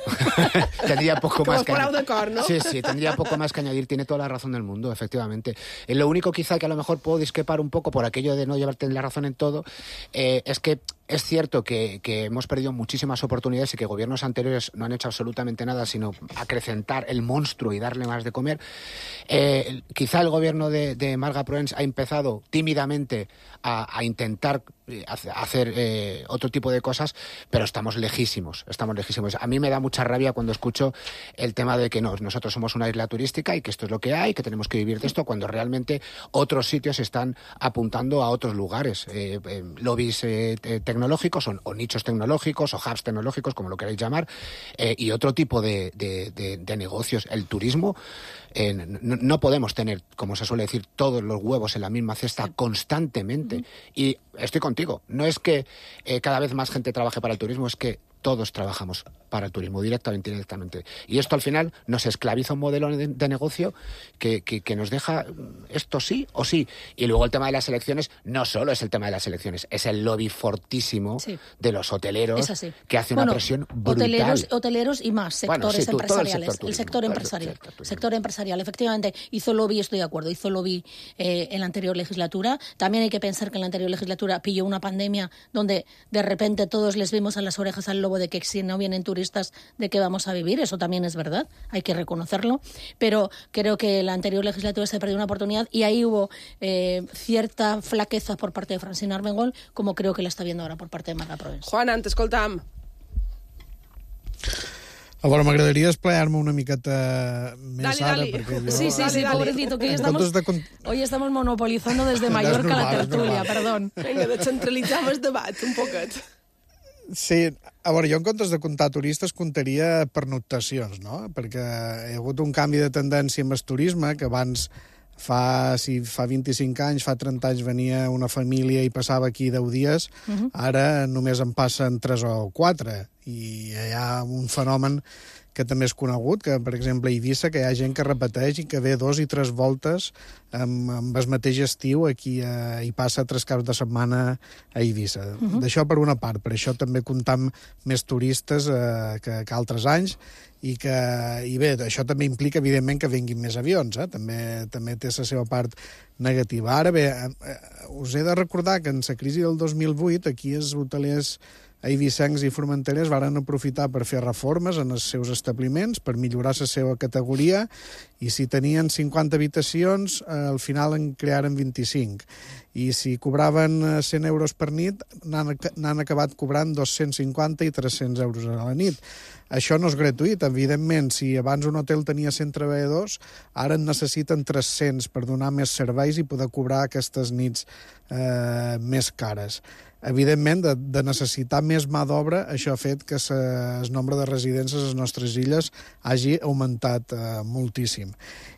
tendría poco más que añadir. ¿No? Sí, sí, tendría poco más que añadir. Tiene toda la razón del mundo, efectivamente. Eh, lo único quizá que a lo mejor puedo discrepar un poco por aquello de no llevarte la razón en todo, eh, es que es cierto que, que hemos perdido muchísimas oportunidades y que gobiernos anteriores no han hecho absolutamente nada, sino acrecentar el monstruo y darle más de comer. Eh, quizá el gobierno de, de Marga Proens ha empezado tímidamente a, a intentar hacer eh, otro tipo de cosas, pero estamos lejísimos, estamos lejísimos. A mí me da mucha rabia cuando escucho el tema de que no, nosotros somos una isla turística y que esto es lo que hay, que tenemos que vivir de esto, cuando realmente otros sitios están apuntando a otros lugares, eh, eh, lobbies eh, tecnológicos o, o nichos tecnológicos o hubs tecnológicos, como lo queráis llamar, eh, y otro tipo de, de, de, de negocios. El turismo, eh, no, no podemos tener, como se suele decir, todos los huevos en la misma cesta constantemente. Uh-huh. Y estoy contigo. No es que eh, cada vez más gente trabaje para el turismo, es que todos trabajamos para el turismo, directamente y indirectamente. Y esto al final nos esclaviza un modelo de, de negocio que, que, que nos deja esto sí o sí. Y luego el tema de las elecciones, no solo es el tema de las elecciones, es el lobby fortísimo sí. de los hoteleros que hace una bueno, presión brutal. Hoteleros, hoteleros y más sectores bueno, sí, tú, empresariales. El sector, turismo, el sector empresarial. El sector, sector empresarial, efectivamente. Hizo lobby, estoy de acuerdo, hizo lobby eh, en la anterior legislatura. También hay que pensar que en la anterior legislatura pilló una pandemia donde de repente todos les vimos a las orejas al lobby globo de que si no vienen turistas, ¿de qué vamos a vivir? Eso también es verdad, hay que reconocerlo, pero creo que la anterior legislatura se perdió una oportunidad y ahí hubo eh, cierta flaqueza por parte de Francina Armengol, como creo que la está viendo ahora por parte de Marga Proens. Juan, t'escoltam. A veure, m'agradaria esplayar-me una miqueta més dale, ara, dale. perquè jo... Sí, sí, sí, pobrecito, que hoy estamos, de... hoy estamos monopolizando desde Mallorca la tertulia, perdón. Vinga, descentralitzem el debat un poquet. Sí, a veure, jo en comptes de comptar turistes comptaria pernoctacions, no? Perquè hi ha hagut un canvi de tendència amb el turisme, que abans fa, si fa vint-i-cinc anys, fa trenta anys venia una família i passava aquí deu dies, uh-huh. Ara només en passen tres o quatre, i hi ha un fenomen que també és conegut, que, per exemple, a Eivissa, que hi ha gent que repeteix i que ve dos i tres voltes amb, amb el mateix estiu aquí a, i passa tres caps de setmana a Eivissa. Uh-huh. D'això per una part, per això també comptam més turistes eh, que, que altres anys, i que, i bé, això també implica, evidentment, que vinguin més avions, eh? també, també té la seva part negativa. Ara bé, eh, us he de recordar que en la crisi del dos mil vuit, aquí els hotelers eivissencs i formenterers varen aprofitar per fer reformes en els seus establiments, per millorar la seva categoria, i si tenien cinquanta habitacions, al final en crearen vint-i-cinc. I si cobraven cent euros per nit, n'han acabat cobrant dos-cents cinquanta i tres-cents euros a la nit. Això no és gratuït, evidentment. Si abans un hotel tenia cent treballadors, ara en necessiten tres-cents per donar més serveis i poder cobrar aquestes nits eh, més cares. Evidentment, de, de necessitar més mà d'obra, això ha fet que el nombre de residències a les nostres illes hagi augmentat eh, moltíssim.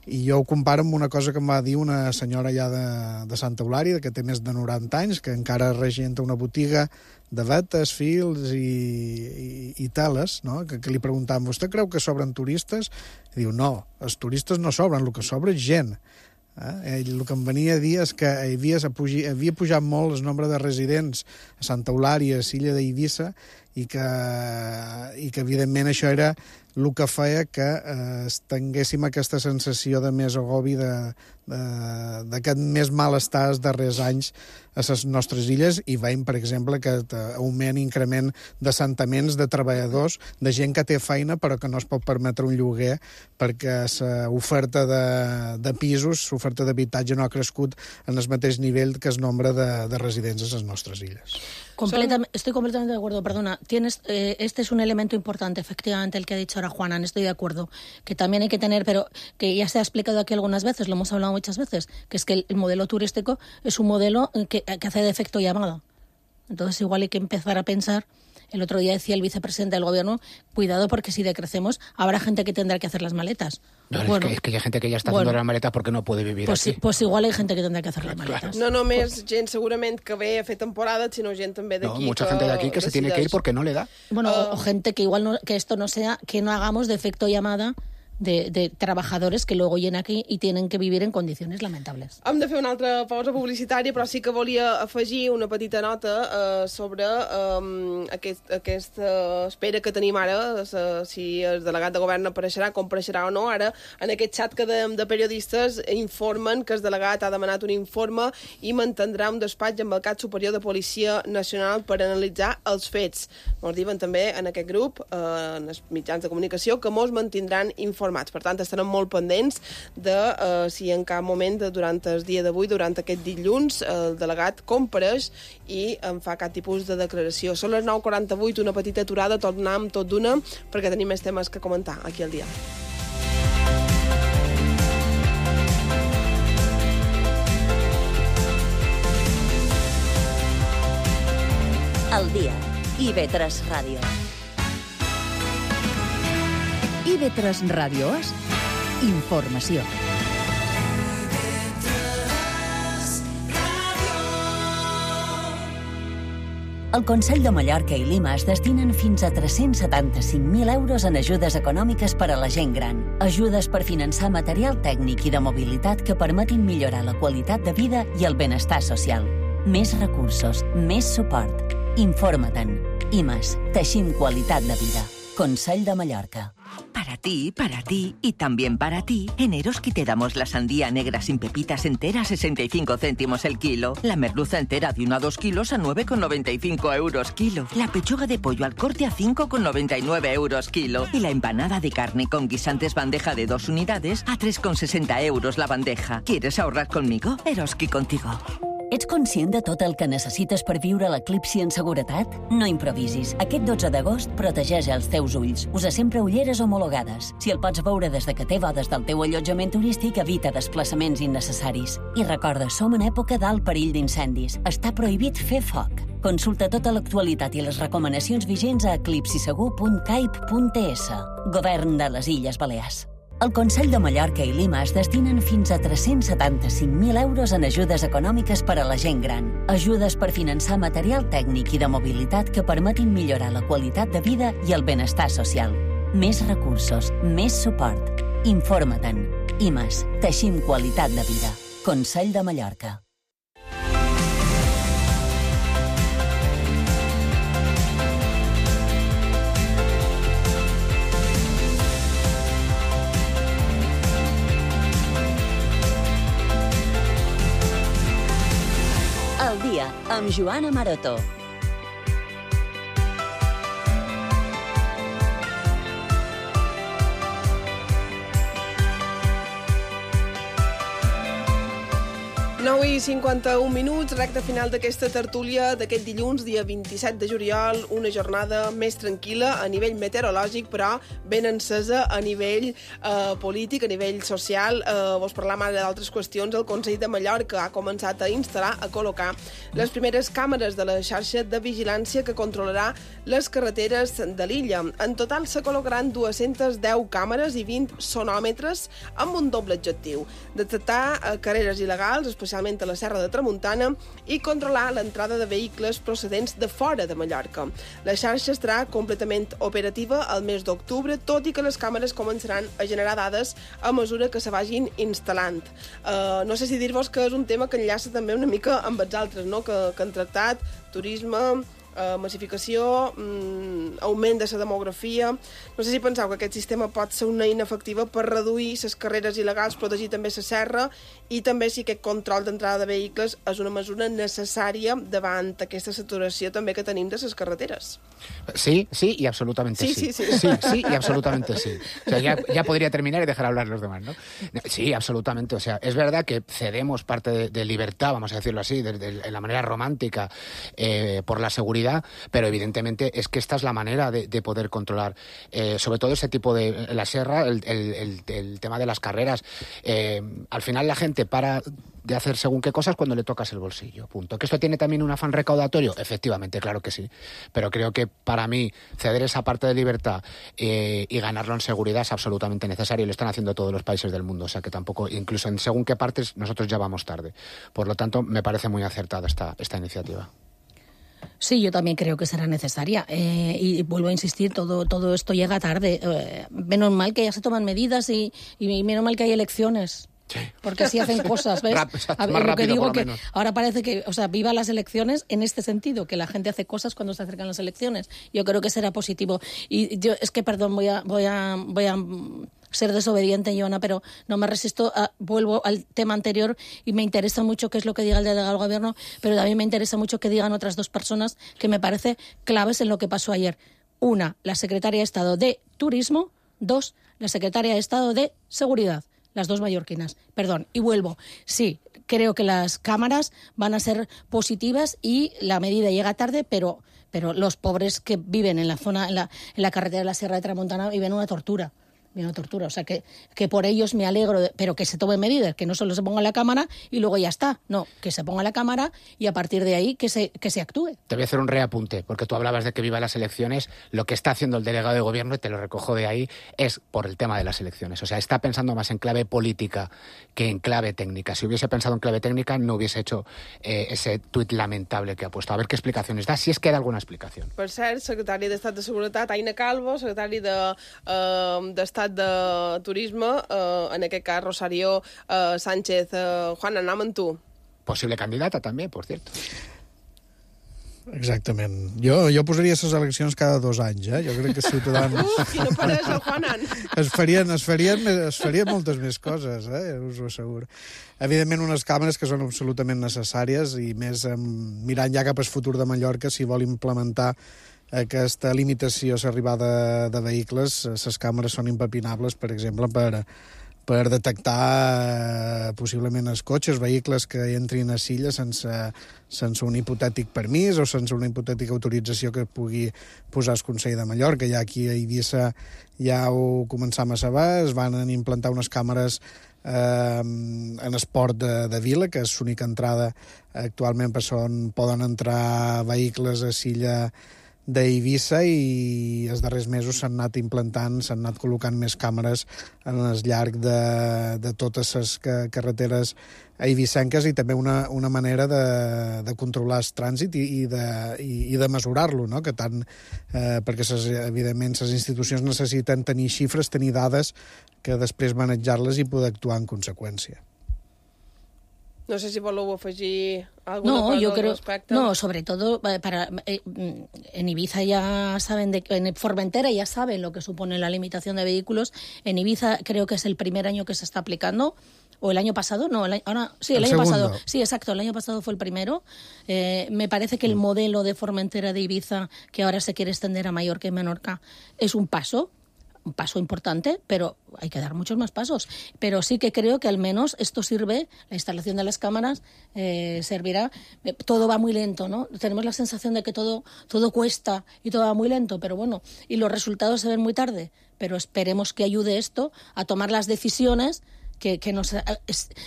I jo ho comparo amb una cosa que em va dir una senyora ja de, de Santa Eulària, que té més de noranta anys, que encara regenta una botiga de vetes, fils i, i, i teles, no? que, que li preguntàvem, vostè creu que sobren turistes? I diu, no, els turistes no sobren, el que sobra és gent. Eh? Ell, el que em venia a dir és que havia, havia pujat molt el nombre de residents a Santa Eulària, a l'illa d'Eivissa, i que, i que evidentment això era el que feia que eh, tinguéssim aquesta sensació de més agobi, d'aquest més malestar els darrers anys a les nostres illes, i veiem, per exemple, aquest augment, increment d'assentaments de treballadors, de gent que té feina però que no es pot permetre un lloguer perquè l'oferta de, de pisos, l'oferta d'habitatge no ha crescut en el mateix nivell que el nombre de, de residents a les nostres illes. Completam- estoy completamente de acuerdo, perdona. Tienes, eh, este es un elemento importante, efectivamente, el que ha dicho ahora Juana, estoy de acuerdo, que también hay que tener, pero que ya se ha explicado aquí algunas veces, lo hemos hablado muchas veces, que es que el, el modelo turístico es un modelo que, que hace de efecto llamada. Entonces igual hay que empezar a pensar. El otro día decía el vicepresidente del gobierno, cuidado porque si decrecemos habrá gente que tendrá que hacer las maletas. No, bueno, es, que, es que hay gente que ya está bueno, haciendo las maletas porque no puede vivir pues, aquí. Pues igual hay gente que tendrá que hacer las maletas. No només gent segurament que ve a fer temporada, sinó gent també No, d'aquí. mucha gente de aquí que se tiene que ir porque no le da. Bueno, o, o gente que igual no, que esto no sea, que no hagamos de efecto llamada de, de trabajadores que luego llegan aquí y tienen que vivir en condiciones lamentables. Hem de fer una altra pausa publicitària, però sí que volia afegir una petita nota eh, sobre eh, aquest, aquesta espera que tenim ara, eh, si el delegat de govern apareixerà, com apareixerà o no. Ara, en aquest xat que de, de periodistes informen que el delegat ha demanat un informe i mantindrà un despatx amb el cap superior de Policia Nacional per analitzar els fets. Ens diuen també en aquest grup, eh, en els mitjans de comunicació, que molts mantindran informats. Per tant, estarem molt pendents de uh, si en cap moment de, durant el dia d'avui, durant aquest dilluns, el delegat compareix i en fa cap tipus de declaració. Són les nou quaranta-vuit, una petita aturada, tornem tot d'una, perquè tenim més temes que comentar aquí al dia. El dia. I ve tres Ràdio. I ve tres Ràdio és informació. El Consell de Mallorca i Lima es destinen fins a tres-cents setanta-cinc mil euros en ajudes econòmiques per a la gent gran. Ajudes per finançar material tècnic i de mobilitat que permetin millorar la qualitat de vida i el benestar social. Més recursos, més suport. Informa-te'n. I més, teixim qualitat de vida. Consell de Mallorca. Para ti, para ti y también para ti, en Eroski te damos la sandía negra sin pepitas entera a sesenta y cinco céntimos el kilo, la merluza entera de uno a dos kilos a nueve con noventa y cinco euros kilo, la pechuga de pollo al corte a cinco con noventa y nueve euros kilo y la empanada de carne con guisantes bandeja de dos unidades a tres con sesenta euros la bandeja. ¿Quieres ahorrar conmigo? Eroski contigo. Ets conscient de tot el que necessites per viure l'eclipsi en seguretat? No improvisis. Aquest dotze d'agost protegeix els teus ulls. Usa sempre ulleres homologades. Si el pots veure des de que té bodes del teu allotjament turístic, evita desplaçaments innecessaris. I recorda, som en època d'alt perill d'incendis. Està prohibit fer foc. Consulta tota l'actualitat i les recomanacions vigents a eclipsisegur punt caip punt es. Govern de les Illes Balears. El Consell de Mallorca i Lima es destinen fins a tres-cents setanta-cinc mil euros en ajudes econòmiques per a la gent gran. Ajudes per finançar material tècnic i de mobilitat que permetin millorar la qualitat de vida i el benestar social. Més recursos, més suport. Informa-te'n. I més, teixim qualitat de vida. Consell de Mallorca. El dia, amb Joana Maroto. nou i cinquanta-un minuts, recta final d'aquesta tertúlia d'aquest dilluns, dia vint-i-set de juliol, una jornada més tranquil·la a nivell meteorològic, però ben encesa a nivell eh, polític, a nivell social. Eh, vos parlam ara d'altres qüestions. El Consell de Mallorca ha començat a instal·lar, a col·locar les primeres càmeres de la xarxa de vigilància que controlarà les carreteres de l'illa. En total se col·locaran dues-centes deu càmeres i vint sonòmetres amb un doble objectiu: detectar eh, carreres il·legals, especialment a la Serra de Tramuntana, i controlar l'entrada de vehicles procedents de fora de Mallorca. La xarxa estarà completament operativa al mes d'octubre, tot i que les càmeres començaran a generar dades a mesura que se vagin instal·lant. Uh, no sé si dir-vos que és un tema que enllaça també una mica amb els altres, no? que, que han tractat, turisme, Uh, massificació, um, augment de la demografia. No sé si penseu que aquest sistema pot ser una eina efectiva per reduir les carreres il·legals, protegir també la serra, i també si aquest control d'entrada de vehicles és una mesura necessària davant aquesta saturació també que tenim de les carreteres. Sí, sí y absolutamente sí. Sí, sí, sí. Sí, sí y absolutamente sí. O sea, ya, ya podría terminar y dejar hablar los demás, ¿no? Sí, absolutamente. O sea, es verdad que cedemos parte de, de libertad, vamos a decirlo así, de, de, de la manera romántica, eh, por la seguridad, pero evidentemente es que esta es la manera de, de poder controlar eh, sobre todo ese tipo de... La sierra, el, el, el, el tema de las carreras. Eh, al final la gente para de hacer según qué cosas cuando le tocas el bolsillo, punto. ¿Que esto tiene también un afán recaudatorio? Efectivamente, claro que sí. Pero creo que para mí ceder esa parte de libertad eh, y ganarlo en seguridad es absolutamente necesario, y lo están haciendo todos los países del mundo. O sea que tampoco, incluso en según qué partes, nosotros ya vamos tarde. Por lo tanto, me parece muy acertada esta, esta iniciativa. Sí, yo también creo que será necesaria. Eh, y vuelvo a insistir, todo, todo esto llega tarde. Eh, menos mal que ya se toman medidas y, y menos mal que hay elecciones. Sí. Porque así hacen cosas, ¿ves? Rap, a ver, más lo rápido, que digo por lo que menos. Ahora parece que, o sea, viva las elecciones en este sentido, que la gente hace cosas cuando se acercan las elecciones. Yo creo que será positivo. Y yo, es que, perdón, voy a, voy a, voy a ser desobediente, Joana, pero no me resisto, a, vuelvo al tema anterior y me interesa mucho qué es lo que diga el delegado del gobierno, pero también me interesa mucho que digan otras dos personas que me parece claves en lo que pasó ayer. Una, la secretaria de Estado de Turismo. Dos, la secretaria de Estado de Seguridad. Las dos mallorquinas. Perdón, y vuelvo. Sí, creo que las cámaras van a ser positivas y la medida llega tarde, pero, pero los pobres que viven en la zona, en la, en la carretera de la Sierra de Tramuntana, viven una tortura. Una tortura. O sea, que, que por ellos me alegro, de, pero que se tomen medidas, que no solo se ponga la cámara y luego ya está. No, que se ponga la cámara y a partir de ahí que se, que se actúe. Te voy a hacer un reapunte, porque tú hablabas de que viva las elecciones. Lo que está haciendo el delegado de gobierno, y te lo recojo de ahí, es por el tema de las elecciones. O sea, está pensando más en clave política que en clave técnica. Si hubiese pensado en clave técnica, no hubiese hecho eh, ese tuit lamentable que ha puesto. A ver qué explicaciones da, si es que da alguna explicación. Per cert, secretari d'Estat de Seguretat, Aina Calvo, secretari de, eh, d'Estat de Turisme, eh, en aquest cas Rosario eh, Sánchez. Eh, Juan, anem amb tu. Posible candidata también, por cierto. Exactament. Jo, jo posaria les eleccions cada dos anys, eh? Jo crec que Ciutadans... Uf, quina peresa, Juanan! es farien, es farien, es farien moltes més coses, eh? Us ho asseguro. Evidentment, unes càmeres que són absolutament necessàries i més eh, mirant ja cap al futur de Mallorca, si vol implementar aquesta limitació a l'arribada de vehicles, les càmeres són impepinables, per exemple, per... per detectar eh, possiblement els cotxes, vehicles que entrin a Silla sense, sense un hipotètic permís o sense una hipotètica autorització que pugui posar el Consell de Mallorca. Ja aquí a Eivissa ja ho començam a saber, es van implantar unes càmeres eh, en esport de, de Vila, que és l'única entrada actualment per on poden entrar vehicles a Silla d'Eivissa, i els darrers mesos s'han anat implantant, s'han anat col·locant més càmeres en el llarg de, de totes les carreteres eivissenques, i també una, una manera de, de controlar el trànsit i, i de, i, i de mesurar-lo, no? Que tant, eh, perquè ses, evidentment les institucions necessiten tenir xifres, tenir dades, que després manejar-les i poder actuar en conseqüència. No sé si voleu afegir alguna no, cosa yo al creo, respecte. No, sobre todo para eh, en Ibiza ya saben, de, en Formentera ya saben lo que supone la limitación de vehículos. En Ibiza creo que es el primer año que se está aplicando. ¿O el año pasado? No, el año, ahora, sí, el, el año segundo. pasado. Sí, exacto, el año pasado fue el primero. Eh, me parece que el modelo de Formentera de Ibiza, que ahora se quiere extender a Mallorca y Menorca, es un paso. Un paso importante, pero hay que dar muchos más pasos. Pero sí que creo que al menos esto sirve, la instalación de las cámaras eh, servirá. Eh, todo va muy lento, ¿no? Tenemos la sensación de que todo, todo cuesta y todo va muy lento, pero bueno, y los resultados se ven muy tarde. Pero esperemos que ayude esto a tomar las decisiones que, que, nos,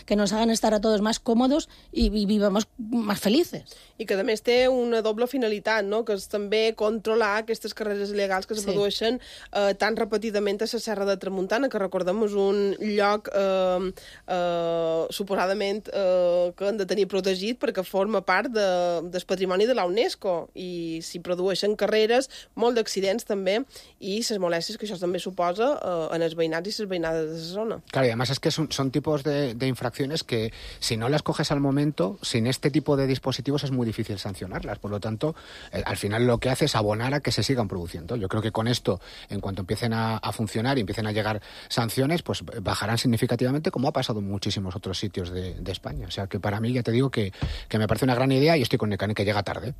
que nos hagan estar a todos más cómodos i, i vivamos más felices. I que, a més, té una doble finalitat, no? Que és també controlar aquestes carreres il·legals que es sí. produeixen eh, tan repetidament a la Serra de Tramuntana, que recordem és un lloc eh, eh, suposadament eh, que han de tenir protegit perquè forma part de, del patrimoni de la UNESCO, i s'hi produeixen carreres, molt d'accidents també, i les molèsties que això també suposa eh, en els veïnats i les veïnades de la zona. Claro, y además es que son, son tipos de, de infracciones que si no las coges al momento, sin este tipo de dispositivos es muy difícil sancionarlas. Por lo tanto, eh, al final lo que hace es abonar a que se sigan produciendo. Yo creo que con esto, en cuanto empiecen a, a funcionar y empiecen a llegar sanciones, pues bajarán significativamente, como ha pasado en muchísimos otros sitios de, de España. O sea que para mí, ya te digo que, que me parece una gran idea, y estoy con Necane, que llega tarde.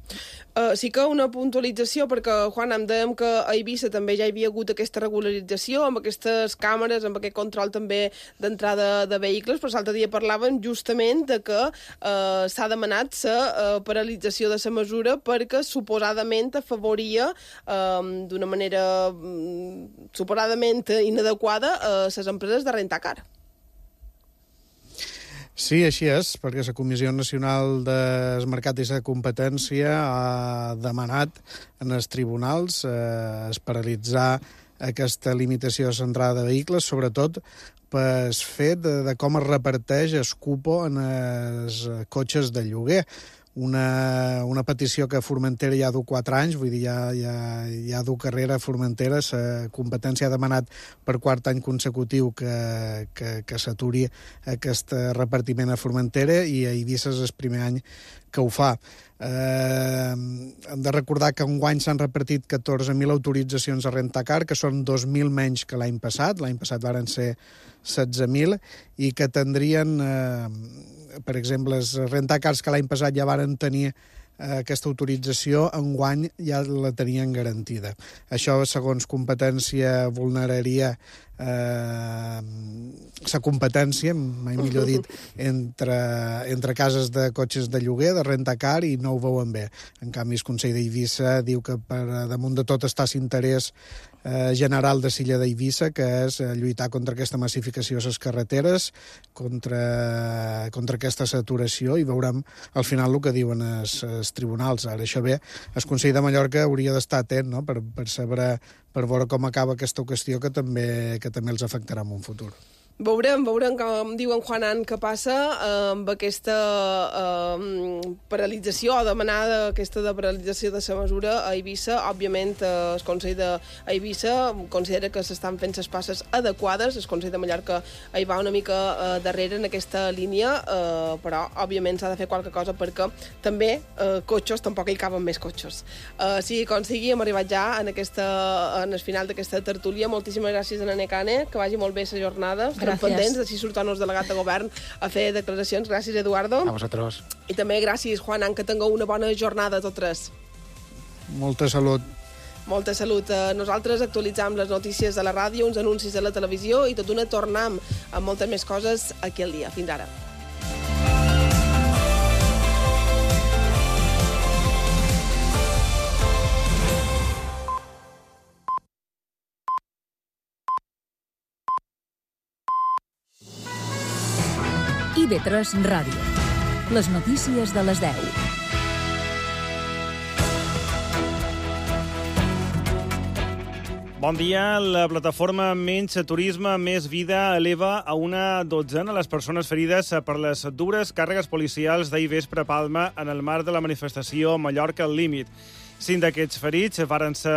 Uh, sí que una puntualització, perquè, Juan, em dèiem que a Eivissa també ja hi havia hagut aquesta regularització, amb aquestes càmeres, amb aquest control també d'entrada de vehicles, però l'altre dia parlàvem justament de que uh, s'ha demanat la uh, paralització de la mesura perquè suposadament afavoria uh, d'una manera um, suposadament inadequada a uh, les empreses de rentar car. Sí, així és, perquè la Comissió Nacional del Mercat i la Competència ha demanat en els tribunals eh, es paralitzar aquesta limitació de l'entrada de vehicles, sobretot pel fet de, de com es reparteix el cupo en els cotxes de lloguer. Una, una petició que Formentera ja du quatre anys, vull dir, ja, ja, ja du carrera a Formentera, la competència ha demanat per quart any consecutiu que, que, que s'aturi aquest repartiment a Formentera, i a Eivissa és el primer any que ho fa. Eh, hem de recordar que enguany s'han repartit catorze mil autoritzacions a rentacar, que són dos mil menys que l'any passat. L'any passat varen ser setze mil, i que tindrien, eh, per exemple, els rentacars que l'any passat ja varen tenir eh, aquesta autorització, enguany ja la tenien garantida. Això, segons competència, vulneraria eh, la competència, mai millor dit, entre, entre cases de cotxes de lloguer, de rentacar, i no ho veuen bé. En canvi, el Consell d'Eivissa diu que per damunt de tot està l'interès eh, general de Silla d'Eivissa, que és eh, lluitar contra aquesta massificació a les carreteres, contra, contra aquesta saturació, i veurem al final el que diuen els, els tribunals. Ara, això bé, el Consell de Mallorca hauria d'estar atent, no?, per, per saber, per veure com acaba aquesta qüestió, que també, que també els afectarà en un futur. Veurem, veurem, com diu en Juanan, què passa amb aquesta eh, paralització o demanada aquesta de paralització de la mesura a Eivissa. Òbviament, eh, el Consell d'Eivissa considera que s'estan fent les passes adequades. El Consell de Mallorca hi va una mica eh, darrere en aquesta línia, eh, però, òbviament, s'ha de fer qualque cosa perquè també eh, cotxes, tampoc hi caben més cotxes. Eh, sigui com sigui, hem arribat ja en, aquesta, en el final d'aquesta tertúlia. Moltíssimes gràcies a Nene Cane, que vagi molt bé la jornada. Estem pendents, així surt el nostre delegat de govern a fer declaracions. Gràcies, Eduardo. A vosaltres. I també gràcies, Juanan, que tingueu una bona jornada tots tres. Molta salut. Molta salut. Nosaltres actualitzam les notícies a la ràdio, uns anuncis a la televisió i tot d'una tornam amb moltes més coses aquí al dia. Fins ara. I V tres Ràdio. Les notícies de les deu. Bon dia. La plataforma Menys Turisme, Més Vida eleva a una dotzena les persones ferides per les dures càrregues policials d'ahir vespre a Palma en el marc de la manifestació Mallorca al límit. Cinc d'aquests ferits varen ser